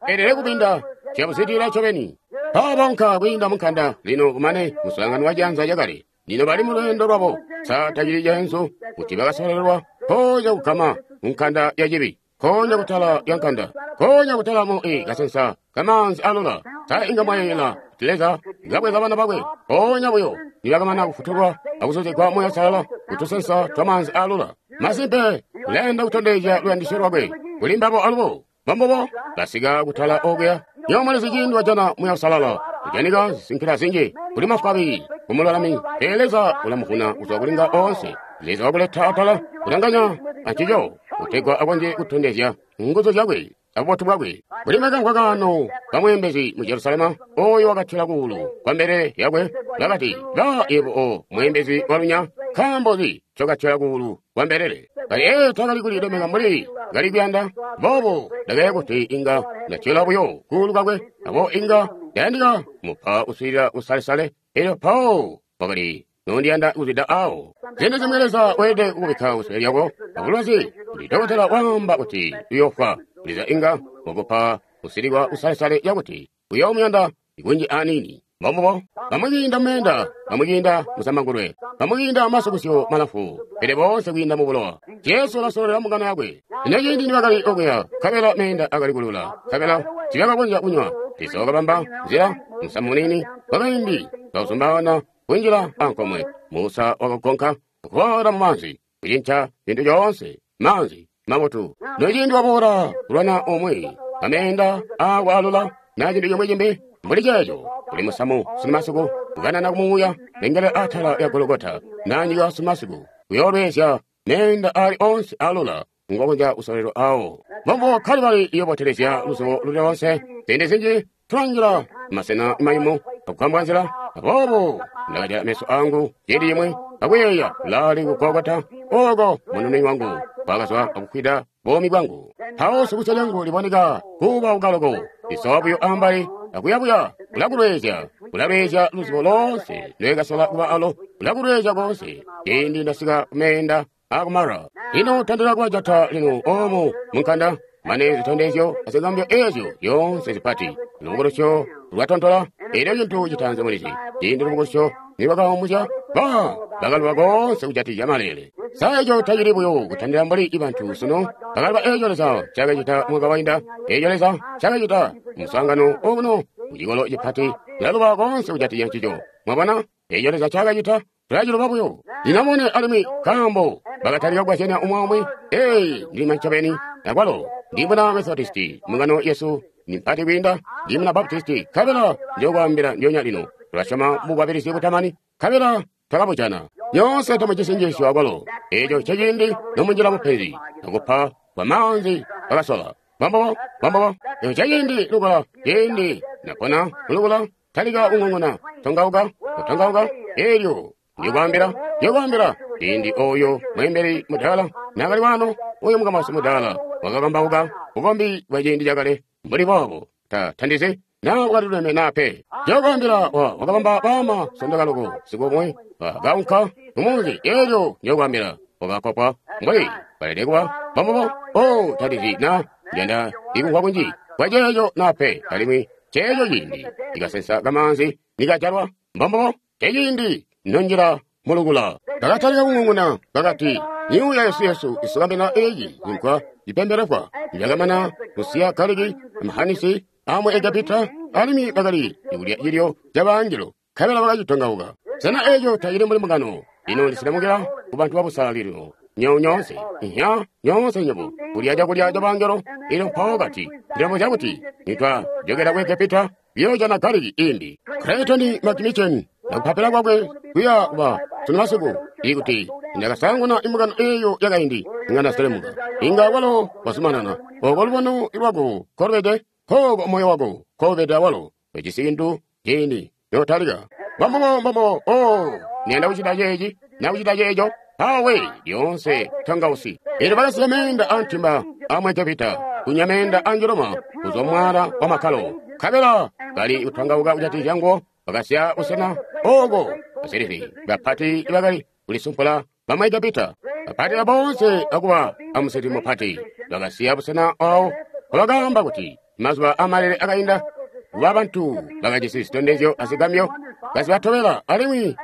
Elele kupinda ciyabuzitila ncobeni. Paabonka kwiinda munkanda lino kumane muswaangano wa janza lyakale. Lino bali mu lweendo lwabo. Sa tacili cenzu kuti bakasololelwa konya kugama munkanda ya cibi. Konya kutala ya nkanda. Konya kutala mu kasensa kamanzi alula. Sa inga mwayeyela kuti Leza ngabweza bana bakwe. Konya buyo nibakamana kufutulwa akusozegwa Muuya Uusalala kutusensa twamanzi alula. Masimpe ulayanda kutondezya luyandisyo lwakwe kuli mbabo alubo. Bambobo basika kutala okuya. Nyomalizi ciindi wajana Muuya Uusalala kujanika zisinkila zinji kuli mafwabi kumululami. Pele Leza ulamuvuna kuzwa kulinga onse. Leza wakuleta atala kulanganya ancico kutegwa akonzye kutondezya nguzu zyakwe abubotu bwakwe. Kuli makamwa kaano kamweembezi mu Jerusalema oyo wakatyola kuulu kwa mbelele yakwe bakati, ba yebo o mweembezi walunya, nkaambo nzi ncokatyola kuulu kwa mbelele? Kali takali kulilemeka mbuli kali kuyanda boobo ndakayeeya kuti inga ndatyola buyo kuulu kwakwe, abo inga ndayandika mupa kuswiilila kusalesale. Elyo mpawo wakali nondiyanda kuzwida awo. Ziindi zimwi Leza weelede kukubikka kusule lyako abulwazi kuti dokotela waamba kuti uyoofwa. Leza inga wakupa kusilikwa kusalesale yakuti uyoomuyanda kunji aniini. Mbombubo bamwi kwiinda mumeenda, bamwi kwiinda musamangulwe, bamwi kwiinda masukusyo malamfu, pele boonse kwiinda mu bulowa. Jesu ulasololela mbungano yakwe. Lino ciindi nibakali okuya, nkabela meenda akali kulula, nkabela tiibakakonzya kunywa. Leza wakabamba nzila musamu muniini wakaindi kauzumbaana kunjila ankomwe. Musa wakagonka kuboola mumaanzi, kucinca cintu coonse, maanzi mabotu. Nociindi waboola kulwana umwi, ameenda aakwaalula na cintu cimwi cimbi mbuli ceeco, kuli musamu sunumasiku kukanana kumuuya lengele atala ya Gologota na nyika sunumasiku kuyoolwezya meenda ali onse alula ngokonzya kusolelwa awo. Mbombo Kalibali iyobotelezya luzubo luli lonse. Ziindi zinji tulanjila masena mayumu akukambwa nzila. Aboobo ndakajala meso angu ciindi cimwi akuyeeya lali ku Gologota oko munununi wangu kwakazwa akufwida buumi bwangu. Mpawo sukusya lyangu liboneka kuba ukaloko lisowa buyo ambali akuyabuya kulakulwezya kulalwezya luzubo lonse lwekasola kuba alo kulakulwezya konse ciindi ndasika kumeenda akumara. Lino tandila kubajata lino omu munkanda mane zitondezyo azigambyo ezyo zyoonse zipati. Lubukulusyo lwatontola elyo cintu citaanzi mulizi. Ciindi lubukulusyo nilwakaumuzya ba bakaluba konse kujatikizya maleele. Sa eco tacili buyo kutandila mbuli bantu sunu bakaluba eco Leza cakacita mwaka wainda, eco Leza cakacita muswaangano okuno kucikolo cipati kulaluba konse kujatikizya ncico. Mwabona eco Leza cakacita tulaciluba buyo. Lino mone alimwi nkaambo bakatalika kukazyanya umwi aumwi. Ee, ndima ncobeni akwalo ndimuna Methodisti mbungano yesu ni mpati kwiinda ndimuna Baptisti nkabela njokwaambila ndyoonya lino tulasyoma mubukwabilizi butamani nkabela twakabujana. Nyoonse tamujisi njiisyo akwalo. Eco nceciindi nomunjila mupenzi akupa kwa maanzi bakasola. Mbombobo, mbombobo. Eco nceciindi lukula, ciindi napona kulukula, talika kung'ung'una, tongauka, kutongauka, elyo ndikwaambila, ndikwaambila, ciindi oyo mweembeli mudaala naakali wano, oyo mukamasi mudaala wakakambauka bukombi bwa ciindi cakale mbuli boobo. Ta tandizi naa wakaliluleme naa pe. Ndikwaambila wakabamba baama sondoka loko siku umwi bakaunka mumunzi elyo ndikwaambila wakakopwa mbuli balede kuba mbombobo. Oh, tandizi naa ndiyanda ikumvwa kunji kwa ceeco naa pe, alimwi ceeco ciindi ikasensa kamaanzi nikajalwa mbombobo ceciindi nonjila mulukula. Bakatalika kung'ung'una bakati, myuuya yesu yesu isukambila eeci zinkwa zipembelekwa. Nibakamana kusiya galiki amahanisi amu Egepita alimwi bakali kulya cilyo cabangelo nkabela bakacitongauka. Sena eeco tacili mbuli mbungano? Lino ndisilamukila kubantu babusalali lino. Nyoonse, inya, nyoonse nywebo kulya cakulya cabangelo. Elyo mpawo kati, ndilabuzya kuti nitwajokela ku Egepita kuyoojana galiki imbi. Clayton McMichen nakupapila kwakwe kuya kuba sunu masiku ikuti ndakasanguna imbungano eyo yakaindi inga ndaselemuka. Inga walo wazumanana oko lubono lwako kolubede kooko moyo wako koubede awalo ujisi cintu ciindi notalika. Mbombobo mbombo oh ndiyanda kucita ceeci nakucita ceeco awe lyoonse tongausi. Elyo bakasiya meenda antimba amu Egepita kunywa meenda anjoloma kuzwa mwaala wa makkalo nkabela kali kutongauka kujatikizya nguwo. Bakasiya busena oko Basilifi bapati bakali kulisumpula bamu Egepita. Bapati boonse akuba amuseti mupati bakasiya busena awo bakaamba kuti mazuba amalele akainda kuba bantu bakajisi zitondezyo azigambyo kazibatobela alimwi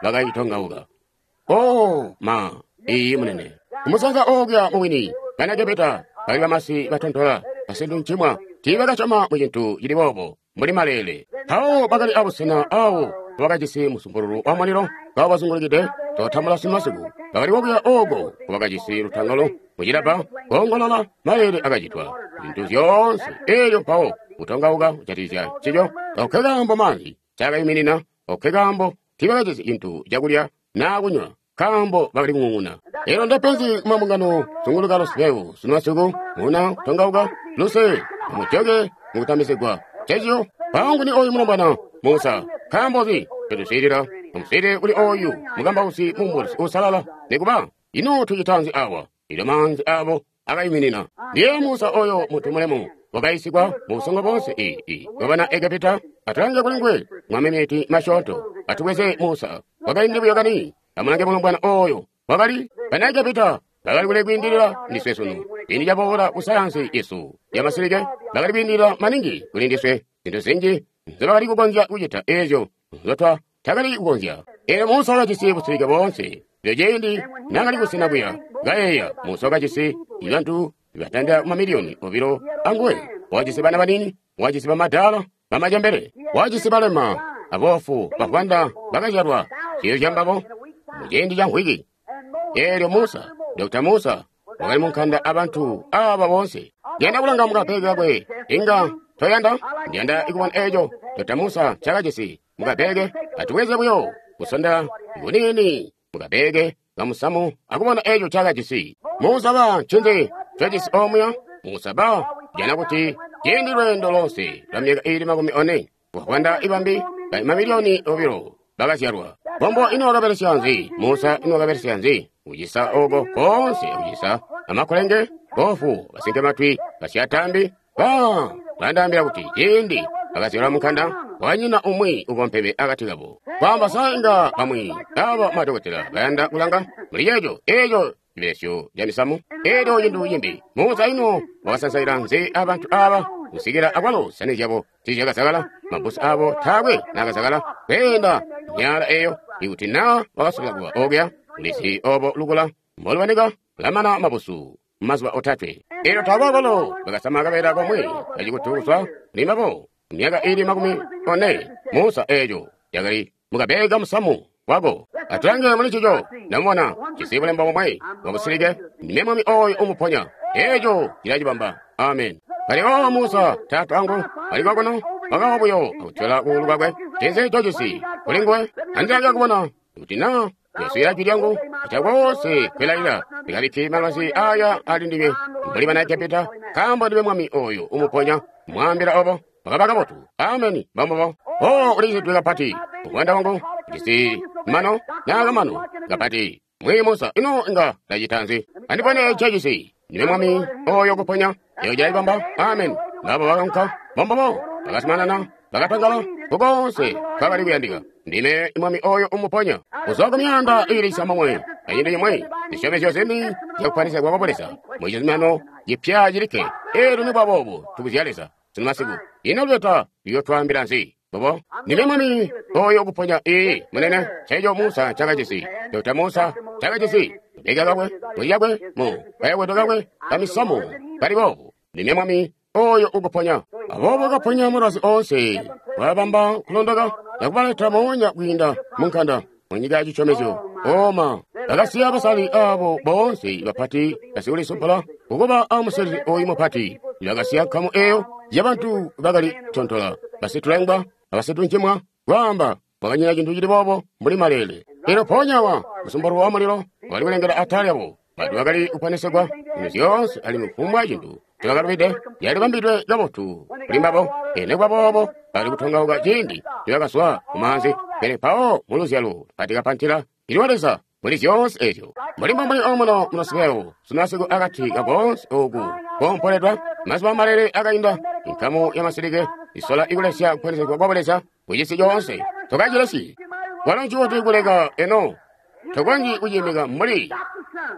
bakayitongauka. Oh ma, iyi munene. Kumusanza okuya mubwini, bana Egepita bali bamasi batontola basintuncimwa tiibakasyoma mu cintu cili boobo mbuli malele. Mpawo bakali abusena awo bakajisi musumpululu wa mulilo kawabazungulukide totambula simasiku. Bakali kokuya oko bakajisi lutangalo mucilabba koongolola malele akacitwa zintu zyoonse. Elyo mpawo kutongauka kujatikizya ncico okke kaambo maanzi cakayiminina, okke kaambo tiibakajisi cintu cakulya naa kunywa nkaambo bakali kung'ung'una. Elo ndepenzi kumambungano zunguluka luseu sunumasiku muna kutongauka luse mujoke mukutambizigwa cecyo. Mpawo oyu mulombwana Musa, nkaambo nzi ncotusiilila amusiilile kuli oyu mukambausi mumbuzi uusalala? Nikuba ino tucita nzi awa? Ilyo maanzi abo akayuminina. Ndiye Musa oyo muntu mulemu wakayisigwa mu busongo bonse bwabana Egepita. Atulange kuli nguwe mwamemeti masyoonto. Atubweze Musa wakaindi buyo kani. Amulange mulombwana oyo wakali bana Egepita bakali kule kwiindilila ndiswe sunu. Ciindi caboola ku sayansi yesu yamasilike bakali kwiindilila maningi kuli ndiswe. Zintu zinji nzobakali kukonzya kucita eezyo nzotwa takali kukonzya. Eelyo Musa wakajisi busilike boonse. Elyo ciindi naakali kusena kuya kayeeya, Musa wakajisi bantu batandila kumamiliyoni 2 anguwe. Wakajisi bana banini, wakajisi bamadaala, bamacembele, wakajisi balema, aboofu, bavwanda bakazyalwa ciyo cambabo muciindi ca mvwiki. Eelyo Musa, Dr. Musa, wakali munkanda abantu aba boonse. Ndiyanda kulanga mukabeke kakwe, inga toyanda? Ndiyanda ikubona eeco Dr. Musa ncaakajisi mukabeke. Atubweze buyo kusonda kuniini mukabeke kamusamu akubona eeco ncaakajisi. Musa ba ncinzi ncojisi omuya? Musa ba jana kuti ciindi lweendo lonse lwa myaka iili 40 bavwanda ibambi bali mamiliyoni 2 bakazyalwa. Bombo ino wakabelesya nzi? Musa ino wakabelesya nzi? Kucisa oko koonse, kucisa amakulenge, boofu, basinkematwi, basyatambi. Ba bandaambila kuti ciindi bakazyalwa munkanda wanyina umwi ukompeme akati kabo. Kwaamba sa inga bamwi aba madokotela bayanda kulanga muli ceeco eeco cibelesyo ca misamu eelyo cintu cimbi. Musa ino wakasansaila nzi abantu aba kusikila akwalo zisani zyabo tiizyakazakala, mabbusu abo taakwe naakazakala kweenda myaala eyo. Ikuti naa wakasola kuba okuya, ulizi obo lukula mbolubanika lamana mabusu mazuba 3. Eelyo taakwe akwalo bakasama kabeela komwe kacikutu kuzwa kuli mbabo myaka iili 40. Musa eeco cakali mukabeke kamusamu wako. Atulange muli ncico, ndamubona jisi bulembo bomwe bwabusilike. Ndime mwami oyo umuponya. Eeco cilacibamba. Amen. Kali o Musa taata wangu ali kokuno wakawa buyo akutyola kuulu kwakwe. Ncinzi ncojisi kuli nguwe? Andilange kubona kuti naa tuyaswiila jwi lyangu acakoonse kwilalila ndikabikki malwazi aya ali ndinywe mbuli bana Egepita, nkaambo ndime mwami oyo umuponya. Mwaambila obo wakaba kabotu. Ameni. Mbambubo. Oh, ulicidwe kapati muvwanda wangu jisi mano naakamano kapati. Mwi Musa ino inga ndacita nzi? Andipone ncejisi. Ndime mwami oyo kuponya. Eyo cilacibamba. Amen. Ngabo bakanka mbambubo bakasimanana bakatangala kukoonse kwakali kuyandika. Ndime mwami oyo umuponya. Kuzwa ku myaanda iili 9 acintu cimwe zisyomezyo zini zyakukwanisya kwa Leza mu cizuminano cipya cilikke. Eelyo nikuba boobo tubuzya Leza sunu masiku. Ino lubeta luyotwaambila nzi? Bobo ndime mwami oyo kuponya. Ii munene, nceeco Musa ncaakajisi. Dr. Musa ncaakajisi kabeka kakwe mucakwe mu kayakwedo kakwe kamisamu kali boobu. Ndime mwami oyo ukuponya. Aboobo kaponya mulwazi oonse, wabamba kulondoka akubaleta moonya kwiinda munkanda munyika ya cisyomezyo. Oma bakasiya basali abo boonse bapati basikulisumpula kukuba amusezi oyu mupati. Bakasiya nkamu eyo yabantu bakali tontola basitulengwa abasituncimwa kwaamba kwakanyina cintu cili boobo mbuli malele. Elyo mpoonya awa musumpululu wa mulilo wakali kulengela atala lyabo. Bantu bakali kuponesegwa zintu zyoonse alimwi kufumbwa cintu ncobakalubide yalibambidwe kabotu kuli mbabo. Nikuba boobo bakali kutongauka ciindi nibakazwa kumaanzi. Pele mpawo muluzyalo lupati kapantila ilwa Leza muli zyoonse eezyo. Mbuli mbomuli omuno munosibewo sunasiku akati kakoonse oku koompoledwa mazuba malele akainda inkamu yamasilike isola ikulesya kuponesegwa kwa Leza kucisi coonse. Tokacilesyi. Walo ncibotu kuleka eno. Tokonzyi kuciimika mbuli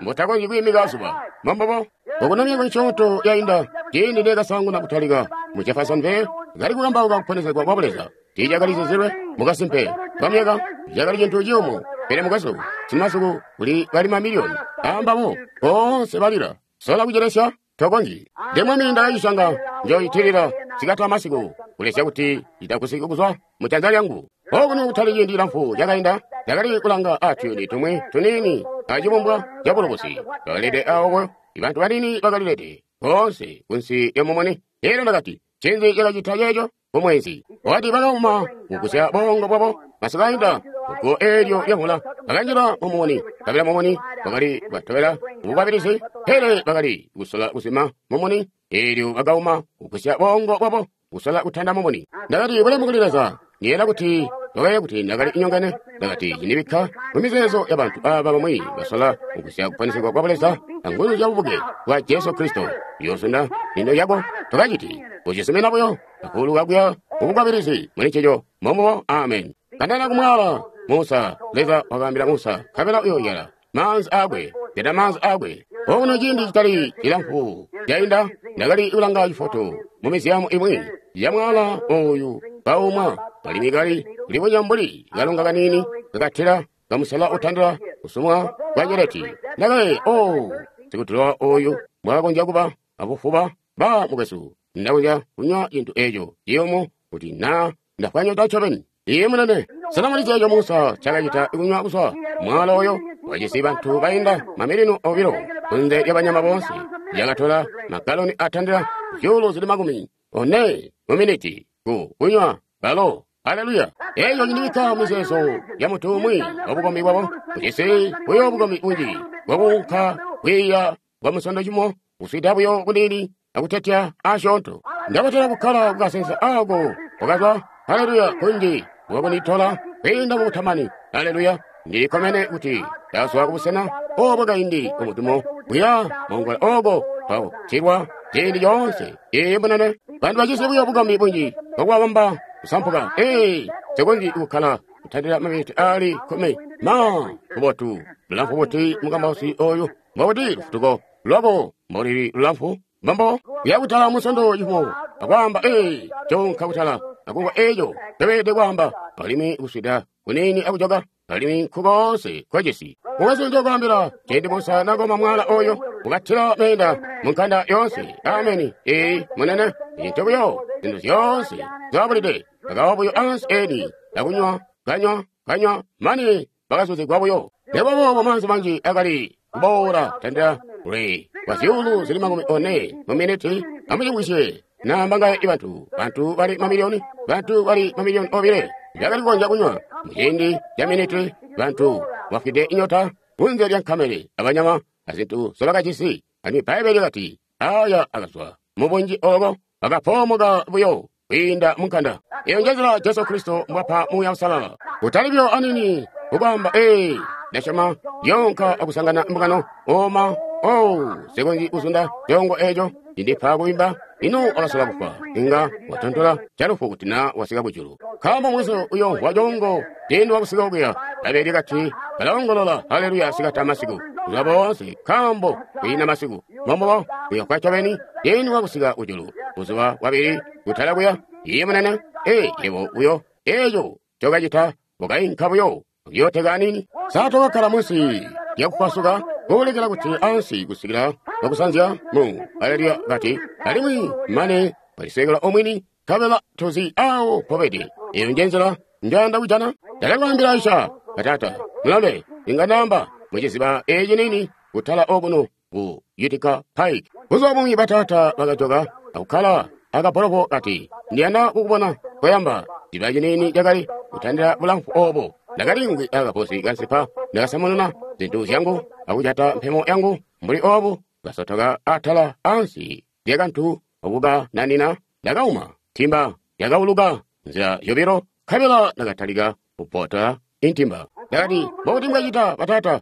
mbutakonzyi kwiimika zuba. Mbombubo. Okuno myaka misyoonto yainda, ciindi Ne kasaanguna kutalika mu Jeffersonville, kali kukambauka kuponesegwa kwa Buleza. Tiicakali zizilwe mukasimpe kwa myaka, cakali cintu ciyumu. Pele mukwesu, simasiku kuli bali mamiliyoni ambabo boonse balila. Sola kucelesya, tokonzyi. Nde Mwami ndakacisyanga, njoitilila sikati amasiku, kulesya kuti itakusiki kuzwa mu janza lyangu. Okuno kutali ciindi cilamfu cakainda, ndakali kulanga atuyuni tumwi tuniini acibumbwa cabulubusi. Bakalede awo, bantu baniini bakalilede boonse kunsi lya mumuni. Elyo ndakati, ncinzi cakacita ceeco? Kumwezi. Wakati bakauma kugusya bongo bwabo, masiku ainda, guwo eelyo lyavula, bakanjila mumuni, kabila mumuni wakali batobela mubukwabilizi, pele bakali kusola kuzima mumuni, eelyo bakauma kugusya bongo bwabo, kusola kutanda mumuni. Ndakati, bulemu kuli Leza. Ndiyeeya kuti wakayeeya kuti ndakali nyongene. Ndakati, cindibikka mumizeezo yabantu aaba bamwi basola kugusya kuponesegwa kwa Buleza anguzu zya bubuke bwa Jesu Kristo. Uyoozunda lindo lyako, tokaciti. Ucisumina buyo akuuluka kuya mubukwabilizi muli ncico. Mbombubo. Amen. Kandana kumwaala Musa, Leza wakaambila Musa, nkabela uyooyala maanzi aakwe, jata maanzi aakwe. Okuno ciindi citali cilamfu cainda, ndakali kulanga cifoto mu miziyamu imwi ya mwaala ooyu kaumwa, alimwi kali kulibonya mbuli kalonga kaniini kakatila kamusela utandila kusumwa kwa nyeleti. Ndakayeeya, oh, sikutulowa ooyu mbwakakonzya kuba abufuba. Ba mukwesu, ndakonzya kunywa cintu eeco ciyumu kuti naa ndafwa nyota ncobeni. Iye munene, sena mulizi eco Musa ncakacita kunywa kuzwa mwaala oyo wajisi bantu bainda mamiliyoni obilo kunze lya banyama boonse? Yakatola magaloni atandila zyuulu zili 40 mu miniti ku kunywa balo. Aleluya! Eco cindibikka mumizeezo ya muntu umwi wa bukombi bwabo, ujisi buyo bukombi bunji bwakuunka kwiiya kwa Musondo cimo, kuswida buyo kuniini akutetya asyoonto. Ndabatela kukkala kukasensa aako kwakazwa, haleluya, kunji bwakunditola kwiinda mu kutamani. Haleluya! Ndili kkomene kuti ndazwa kubusena obo kaindi kumudumo kuya mongola oko kwakutilwa ciindi coonse. Ee, munene, bantu bajisi buyo bukombi bunji bwakubabamba kusampuka. Ee, nsikonzyi kukkala kutandila maminiti aali 10. Ma, bubotu, bulamfu buti mukambausi oyu, mbobuti lufutuko lwako mbolili lulamfu? Mbombo kuya kutala Musondo cifumo akwaamba, ee, njoonka kutala akumvwa eco ncobeelede kwaamba, alimwi kuswida kuniini akujoka, alimwi nkukoonse kwecisi. Mukwesu, njokwaambila, ciindi Musa nakoma mwaala oyo, ukatila meenda mu nkanda yoonse. Ameni. Ee, munene, cintu buyo, zintu zyoonse zabulide, bakawa buyo ansi eni, akunywa, kanywa, kanywa, mane bakazuzigwa buyo. Nebaboobo maanzi manji akali kuboola tandila kule kwa zyuulu zili 40 mu miniti. Amucimvwisye, naamba ngaye bantu, bantu bali mamiliyoni, bantu bali mamiliyoni obile bakali kukonzya kunywa muciindi ca miniti. Bantu bafwide inyota kunze lya nkamele abanyama azintu nzobakajisi. Alimwi Bbaibbele lyakati aya akazwa mubunji obo, akapoomoka buyo kwiinda mu nkanda. Eyo njenzila Jesu Kristo mbwapa Muuya Uusalala. Kutali buyo aniini kukwaamba, ee, ndasyoma yoonka akusangana mbungano, oma, oh, nsikonzyi kuzunda coongo eco cindipa kuimba. Ino wakasola kufwa, inga watontola calufu kuti na wasika kujulu. Nkaambo mukwesu uyoomvwa coongo ciindi wakusika okuya. Bbaibbele lyakati balaongolola haleluya sikati amasiku, buzuba boonse, nkaambo kwiina masiku. Mbombubo, uyofwa ncobeni ciindi wakusika kujulu, buzuba bwabili kutala kuya. Iye munene, ee, yebo uyo, eco ncokacita, ukainka buyo uyooteka aniini. Sa tokakkala munsi lyakupasuka kuulekela kuti ansi kusikila bakusanzya mu haleluya kati, alimwi mane walisekela omwini, nkabela tozi awo mpobede. Eyo nje nzila njanda kujana. Ndakakwaambila Aisha, batata, mulombe, inga ndaamba muciziba eci nini kutala okuno ku Utica Pike. Buzuba bumwi batata bakajoka akukkala akabholoko kati, ndiyanda kukubona koyamba. Ciba ciniini cakali kutandila bulamfu obo. Ndakaliimvwi akaposi kansipa, ndakasamununa zintu zyangu akujata mpemo yangu mbuli obu, kasotoka atala ansi lyakantu okukananina. Ndakauma ntimba yakauluka nzila zyobilo, nkabela ndakatalika kupota intimba. Ndakati, mbobuti mbwacita batata?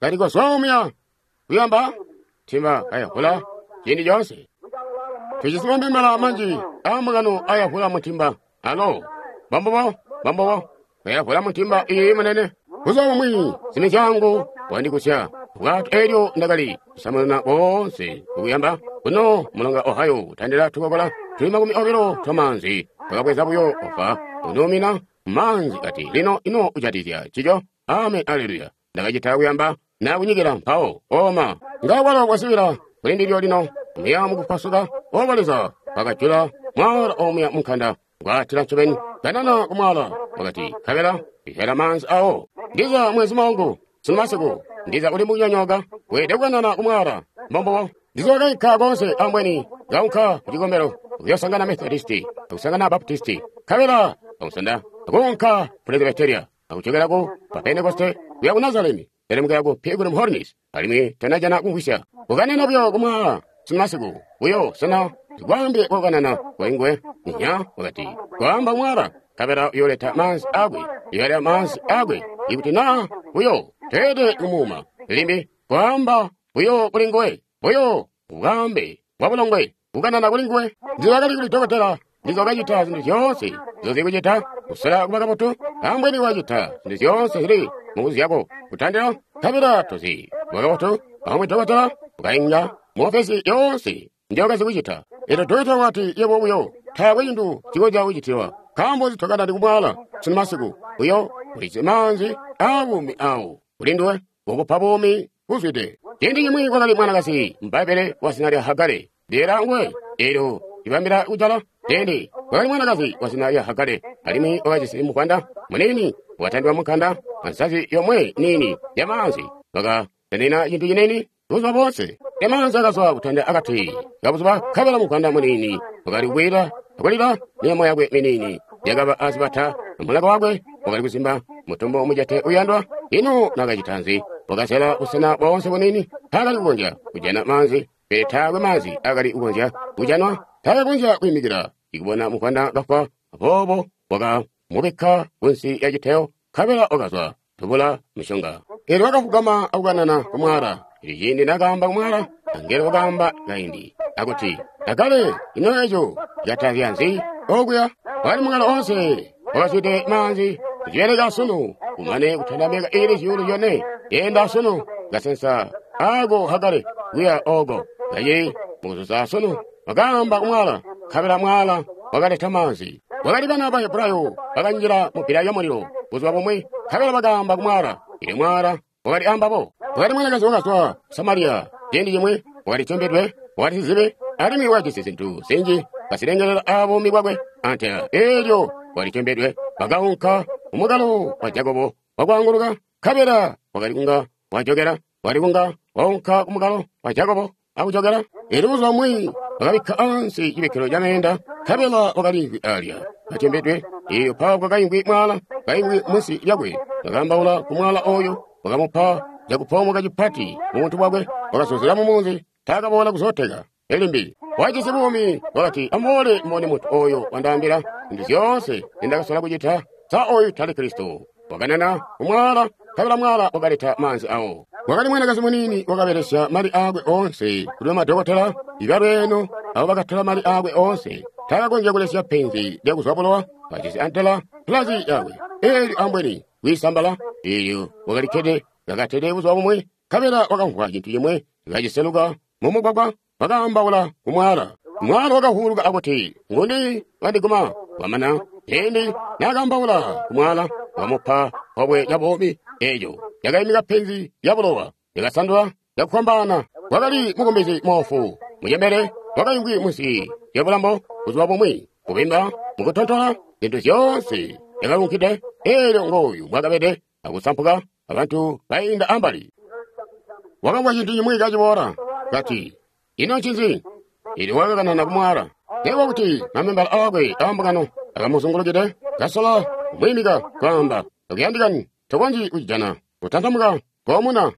Kati, kozwa omuya kuyamba ntimba kayavula ciindi coonse. Tujisi mamembala manji aambungano ayavula mutimba. Alo, mbombubo, mbombubo. Kayavula muntimba iyi munene. Buzuba bumwi simizyangu wandikusya bwato elyo ndakali kusamununa boonse kukuyamba kuno mulonga Ohio kutandila tukokola tuli 20 twamanzi twakabweza buyo ofa unumina manzi kati lino ino ujatizya cico. Amen, aleluya. Ndakacita kuyamba nakunyikila mpawo oma ngawalo kwasibila kuli ndilyo lino muya mukupasuka oba Leza wakajula mwala omuya munkanda gwatila ncobeni kanana kumwala wakati kabela ihela manzi awo. Ndiza mwezi wangu sunu masiku ndiza uli mukunyonyoka weede kukanana kumwala mbombobo. Ndiza wakaikka konse ambweni kaunka kucikombelo kuyosangana Methodisti akusangana Baptisti kabela akusanda akunka Presbyteria akuchokera pa Pentekoste kuya ku Nazareni telemukira ku Pilgrim Holiness alimwi tanajana kumvwisya kukanena buyo kumwala sunu masiku buyo sena zikwambe kokanana kwaingwe nya wakati kwamba mwala kabela uyoleta manzi akwe uyoleta manzi akwe ikuti na buyo tete kumuma limbi kwamba buyo kuli nguwe buyo ukambe wabulongwe kukanana kuli nguwe. Ndizakali kuli dokotela ndizo wakacita zinthu zyoonse zozikucita kusala kuba kabotu ambweni wacita zinthu zyoonse zili mukuzi yako kutandila kabela tozi kuba kabotu amwe dokotela ukainga muofesi yonse njokazikucita. Elo dokotela wati yebo buyo taakwe cintu cikonzya kucitiwa nkaambo zitokana kumwala sunu masiku uyo ulizi manzi abuumi awo kuli nduwe ukupa buumi buzwide. Ciindi cimwi kwakali mwanakazi m'Bbaibele wa zina lya Hagare lyera nguwe elyo libambila kujala. Ciindi kwakali mwanakazi wa zina lya Hagare alimwi wakajisi muvwanda munini wakatandwa munkanda ansazi yomwe nini ya manzi wakatanena cintu cinini buzuba bonse. Emanzi akazwa kutanda akati kabuzuba kabela muvwanda munini wakali kukwila akulila milomo yakwe minini yakaba azibata mulaka wakwe wakali kuzimba mutumbu mujate uyandwa. Ino nakacita nzi? Wakasela busena bonse bunini taakali kukonzya kujana manzi pele taakwe manzi akali kukonzya kujanwa. Taakakonzya kwiimikila ikubona muvwanda kafwa aboobo wakamubikka kunsi ya citeyo kabela wakazwa tubula mishonga. Elyo wakafugama akukanana kumwala. Elyo ciindi nakaamba kumwala angelo wakaamba kaindi akuti Hagare ino eco catazya nzi okuya? Wakali mukalo onse wakazwide manzi kucibeleka sunu kumane kutanda myaka ili 4,000 yenda sunu kasensa ako Hagare kuya oko kaye mukuzuza sunu wakaamba kumwala kabela mwala wakaleta manzi. Wakali bana ba Hebrayo bakanjila mu pila ya mulilo buzuba bumwi kabela bakaamba kumwala ili mwala wakali ambabo. Wakali mwanakazi wakazwa Samariya ciindi cimwi wakali combedwe wakali sizibe alimwi wakajisi zintu zinji kasilengelela abuumi bwakwe antela elyo wakali combedwe. Bakaunka kumukalo wa Jakobo wakwaanguluka kabela wakali kunga wajokela wakali kunga waunka kumukalo wa Jakobo akujokela. Elyo buzuba bumwi wakabikka ansi cibikkilo ca meenda kabela wakaliimvwi alya kacembedwe. Iyo mpawo kwakaimvwi mwala kaimvwi munsi lyakwe wakaambaula kumwala oyo wakamupa cakupoomoka cipati mubuntu bwakwe wakasozela mumunzi taakaboola kuzoteka elimbi. Wajisi buumi wakati amuboole mubone muntu oyo wandaambila zintu zyoonse zindakasola kucita. Sa oyu tali Kristo? Wakanana kumwala kabela mwala wakaleta manzi awo. Wakali mwanakazi munini wakabelesya mali akwe onse kuli bamadokotela ibalweeno abo bakatola mali akwe onse taakakonzya kulesya penzi lyakuzwa bulowa kajisi antela pulazi yakwe elyo ambweni kwiisambala. Elyo wakalikkede kakatede buzuba bumwi kabela wakamvwa cintu cimwe kaciseluka mumugwagwa wakaambaula kumwala. Mwala wakahuluka akuti ngundi wandiguma wamana. Ciindi nakaambaula kumwala wamupa pobwe lya buumi eyo yakaimika penzi lya bulowa yakasandula yakufwambaana. Wakali mukumbizi moofu mucembele wakaimvwi munsi lya bulambo buzuba bumwi kubimba mukutontola zintu zyoonse yakalunkide. Elyo ngooyu mwakabede akusampuka abantu bainda ambali. Wakamvwa cintu cimwi kaciboola kati ino ncinzi? Elyo wakakanana kumwala nekuba kuti mamembala akwe aambungano akamuzungulukide kasola kumwiimika kwaamba akuyandikani tokonzyi kucijana kutantamuka koomuna.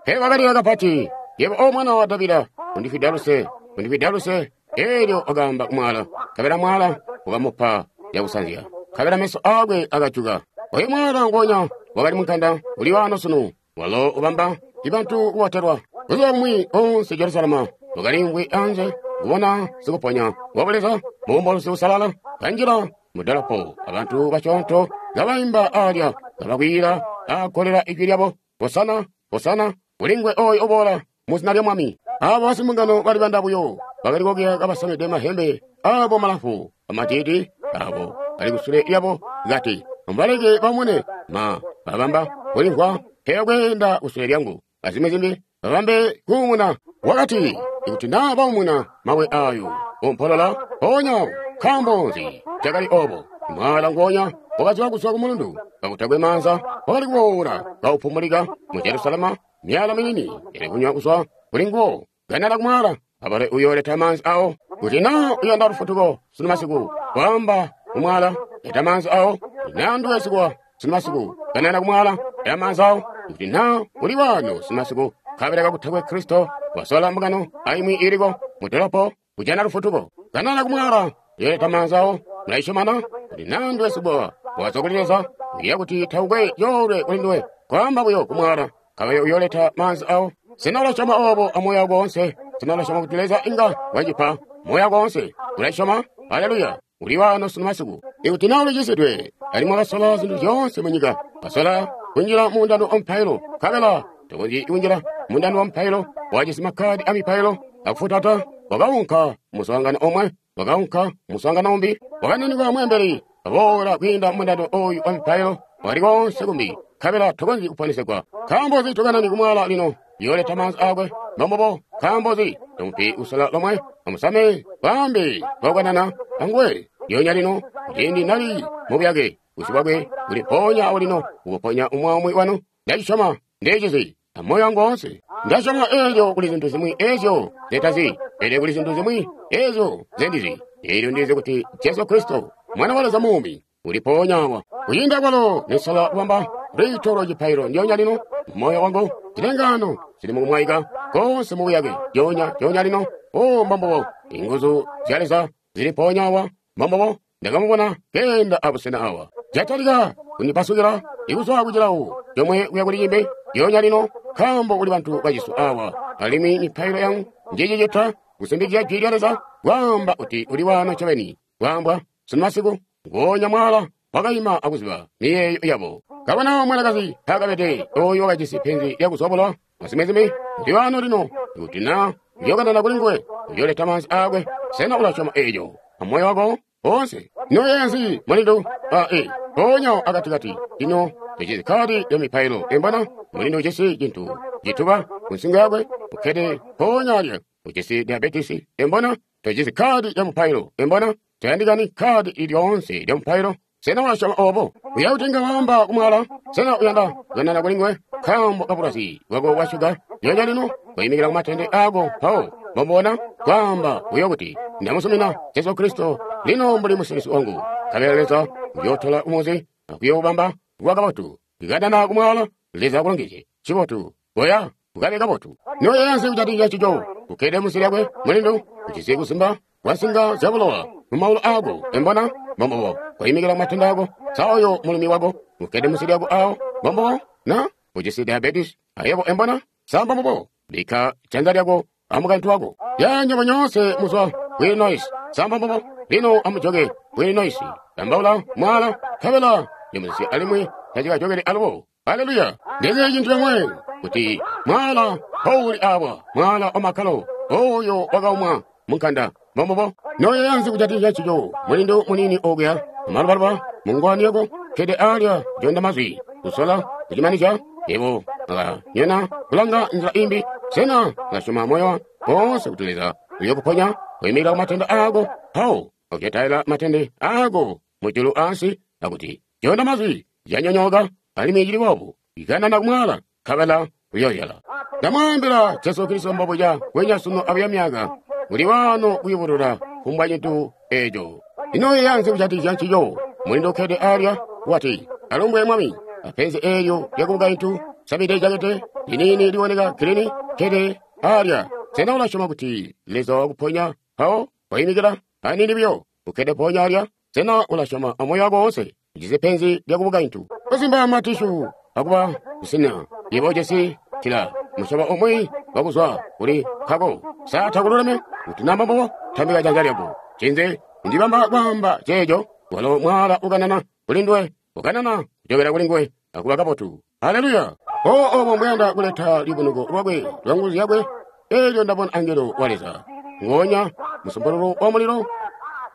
Pe wakalila kapati yebo o mwana wa Davida undifwida luse undifwida luse. Elyo wakaamba kumwala kabela mwala wakamupa yakusanzya kabela meso akwe akajuka. Oyo mwala ngonya wakali munkanda uli wano sunu walo ubamba ibantu kubotelwa. Buzuba bumwi onse Jerusalema wakaliimvwi anze kubona sikuponya wabuleza mubumbulusi busalala kanjila mu dolopo, abantu basyoonto kabaimba alya, kabakwiila akolela ijwi lyabo, Hosana, Hosana, kulingwe oyo oboola mu zina lya Mwami. Abo basimbungano bali banda buyo, bakali kokuya kabasamide mahembe abo malamfu, amatiti abo ali kusule lyabo kati, mubaleke bamune ma babamba kulimvwa peyo kweenda kusule lyangu, azimwi zimbi babambe kuumuna. Wakati, ikuti naa baumuna mabwe ayo ompolola mpoonya nkaambo nzi cakali obo? Mwaala ngoonya wakaziwa kuzwa ku mulundu kakutakwe maanza, wakali kuboola kaupumulika mu Jerusalema, myala minini yali kunywa kuzwa kuli nguwo. Kanana kumwala abale uyoleta maanzi awo. Kuti naa uyanda lufutuko sunu masiku, kwaamba kumwala leta maanzi awo. Naa nduwe sikuwa sunu masiku, kanana kumwala leta maanzi awo. Kuti naa uli wano sunu masiku, kabela kakutakwe Kristo wasola mbungano aimwi iliko mu dolopo kujana lufutuko. Kanana kumwala yoleta maanzi awo. Mulayisyomana kuti naa nduwe sikuwa wazwa kuli Leza, uya kuti taukwe yoolwe kuli nduwe, kwaamba buyo kumwala kabele uyoleta maanzi awo. Sena ulasyoma obo amoyo wako wonse? Sena ulasyoma kuti Leza inga wacipa moyo wako wonse? Ulasyoma? Haleluya! Uli wano sunu masiku. Ikuti naa ulicisidwe, alimwi wakasola zintu zyoonse mu nyika, wasola kunjila mu mundando wa mupailo, nkabela tokonzyi kunjila mundando wa mupailo, wajisi makkadi a mipailo akufutata, wakaunka muswaangano omwe, wakaunka muswaangano umbi, wakananikwa mweembeli, waboola kwiinda mundando oyu wa mipailo, wakali konse kumbi, nkabela tokonzyi kuponesegwa. Nkaambo nzi tokanani kumwala lino? Yoleta maanzi akwe mbombobo. Nkaambo nzi tomupi kusola lomwe? Amusame bambi baukanana anguwe lyonya lino, ciindi nali mubuyake busi bwakwe buli mpoonya awo lino ukuponya umwi wanu. Ndacisyoma, ndecizi amoyo wangu woonse. Ndasyoma eelyo kuli zintu zimwi ezyo zetazi, pele kuli zintu zimwi ezyo zendizi. Eelyo ndizi kuti Jesu Kristo Mwana wa Leza muumi uli mpoonya awa. Kwiinda kwalo nesola kubamba lwiito lwa cipailo ndyonya lino, moyo wangu zilengano zili mukumwaika konse mubuyake lyonya lyonya lino. O mbombobo, inguzu zya Leza zili mpoonya awa. Mbombobo, ndakamubona keenda abusena awa. Jatalika kundipasukila ikuzwa kucilawo comwe kuya kuli cimbi lyonya lino, nkaambo kuli bantu bacisu awa. Alimwi mipailo yangu njicicita kusindikizya jwi lya Leza kwaamba kuti uli wano ncobeni. Kwaambwa sunu masiku, ngoonya mwala wakaima akuziba miyeeyo yabo. Kabona mwanakazi pakabede oyo wakajisi penzi lyakuzobolwa mazimizimi, uli wano lino. Ikuti naa uyokanana kuli nguwe, uyoleta maanzi akwe. Sena ulasyoma eeco amoyo wako wonse? Noyenzi mulindu ae mpoonya akatikati lino tojisi kadi ya mipailo embona mulindu ujisi cintu cituba ku nsingo yakwe, ukkede mpoonya alya ujisi diabetisi embona tojisi kadi ya mupailo embona toyandikani kadi ilyoonse lya mupailo. Sena ulasyoma obo? Uya kuti inga waamba kumwala? Sena uyanda kukanana kuli nguwe? Nkaambo kabulwazi bwako bwa shuga lyonya lino koyimikila kumatende ako mpawo mbomubona kwaamba buyo kuti ndamusumina Jesu Kristo lino mbuli musilisi wangu. Nkabela Leza uyootola umuzi akuyoobamba kuba kabotu. Ikanana kumwala, Leza akulongezye. Cibotu, koya ukabe kabotu. Noyeeya kujatikizya ncico, ukkede munsi lyakwe mulindu, ujisi kuzimba kwa nsinga zyabulowa mumaulu aako embona mbombobo koyimikila kumatende ako. Sa oyo mulumi wako ukkede munsi lyako awo mbombobo na ujisi diabetes ayebo embona sa mbombobo bikka janza lyako amukaintu wako. Ya nywebo nyoonse muzwa ku Illinois sa mbombobo lino amujoke ku Illinois ambaula mwala nkabela nimuzisi alimwi tacikajokele alubo. Haleluya! Ndizi cintu comwe kuti mwala mpowuli awa, mwala wamakkalo oyo wakaumwa munkanda mbombobo. Noyeeya kujatikizya ncico, mulindu muniini okuya amalubaluba mungwani yako kkede alya jonda mazwi kusola kucimanizya yebo akanyona kulanga nzila imbi. Sena ulasyoma moyo wonse kuti Leza uyokuponya koyimikila kumatende ako mpawo akucetaila matende ako mujulu ansi akuti jonda mazwi yanyonyooka alimwi cili boobu ikanana kumwala nkabela uyoyala. Ndamwaambila Jesu Kristo mbobuca kwenya sunu abuya myaka uli wano kuyubulula kumbwa cintu eeco. Ino yeeya kujatikizya ncico, mulindu ukkede alya wati, alumbwe Mwami, apenzi eelyo lyakubukaintu samide jakete liniini liwoneka gilini kkede alya. Sena ulasyoma kuti Leza wakuponya mpawo koyimikila aniini buyo ukkede mpoonya alya? Sena ulasyoma amoyo wako wonse? Ujisi penzi lyakubukaintu, kuzimba matishu akuba kusina yebo ujisi cila musyobo umwi wakuzwa kuli nkako. Sa takululeme? Kuti naa mbombobo, tambika janza lyako. Ncinzi ndibamba kwaamba ceeco? Walo mwaala ukanana kuli nduwe, ukanana kujokela kuli nguwe, akuba kabotu. Haleluya! O obo mbuyanda kuleta lubunuko lwakwe lwa nguzu zyakwe. Elyo ndabona angelo wa Leza ngonya musumpululu wa mulilo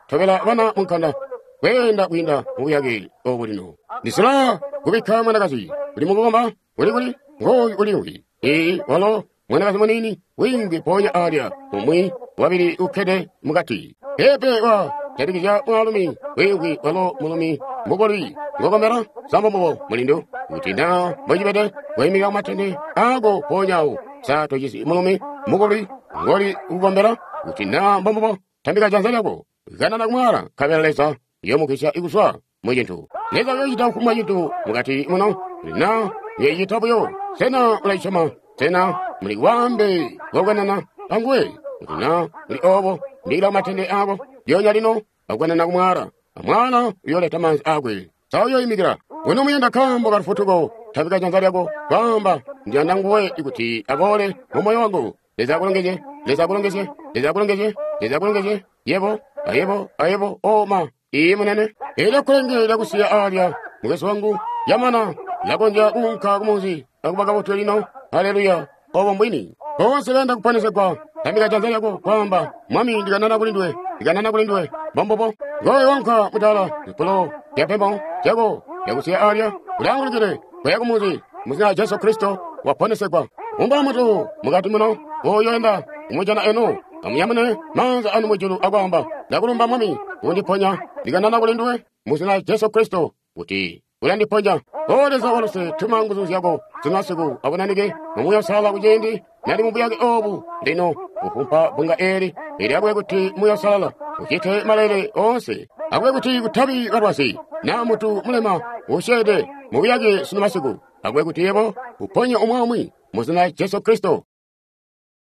tobela bana munkanda kweenda kwiinda mubuyake obu lino. Ndisila kubikka mwanakazi uli mukukomba uli kuli ngooyu uliimvwi. Ee, walo mwanakazi muniini wiimvwi mpoonya alya, umwi wabili ukkede mukati. Peepe wa jatikizya mwaalumi wiimvwi, walo mulumi mukolwi ngokombela sambo mulindu. Kuti na mbocibede koimika kumatende ako mpoonya awo. Sa tojisi mulumi mukolwi ngoli kukombela? Kuti na mbombubo, tambika janza lyako, kanana kumwaala, nkabela Leza uyomugwisya kuzwa mu cintu. Leza uyocita kufumbwa cintu mukati muno, na uyocita buyo. Sena ulacisyoma? Sena muli bwaambe bwakukanana anguwe? Kuti na muli obo, ndila kumatende ako lyoonya lino akukanana kumwaala, amwaala uyoleta maanzi akwe. Sa uyoimikila? Uno muyanda kaambo ka lufutuko, tambika janza lyako, kwaamba, ndiyanda nguwe kuti aboole mu moyo wangu. Leza akulongezye, Leza akulongezye, Leza akulongezye, Leza akulongezye, yebo, ayebo, ayebo, o ma, iye munene. Elyo kkulenge lyakusiya alya, mukwesu wangu, yamana, lakonzya kuunka kumunzi akuba kabotu lino. Haleluya, obo mbwini. Boonse bayanda kuponesegwa, tambika janza lyako, kwaamba, Mwami, ndikanana kuli nduwe, ndikanana kuli nduwe. Mbombubo. Ngoyo wanka mutala, zipulo zyapembo zyako lyakusiya alya, ulaangulukile kuya kumunzi mu zina lya Jesu Kristo waponesegwa. Umba mutu mukati muno, uyoenda kumujana eno, amunyamune maanza anu mujulu akwaamba, ndakulumba Mwami, undiponya, ndikanana kuli nduwe mu zina lya Jesu Kristo kuti ulandiponya. O Leza waluse, tuma nguzu zyako zimasiku abunanike mu Muuya Uusalala kuciindi nali mubuyake obu lino kufumpa bbunga eli, elyo akube kuti Muuya Uusalala ucite maleele oonse. Akube kuti kutabi balwazi na mutu mulema usyeede mubuyake sunu masiku. Akube kuti yebo uponye umwi aumwi mu zina lya Jesu Kristo.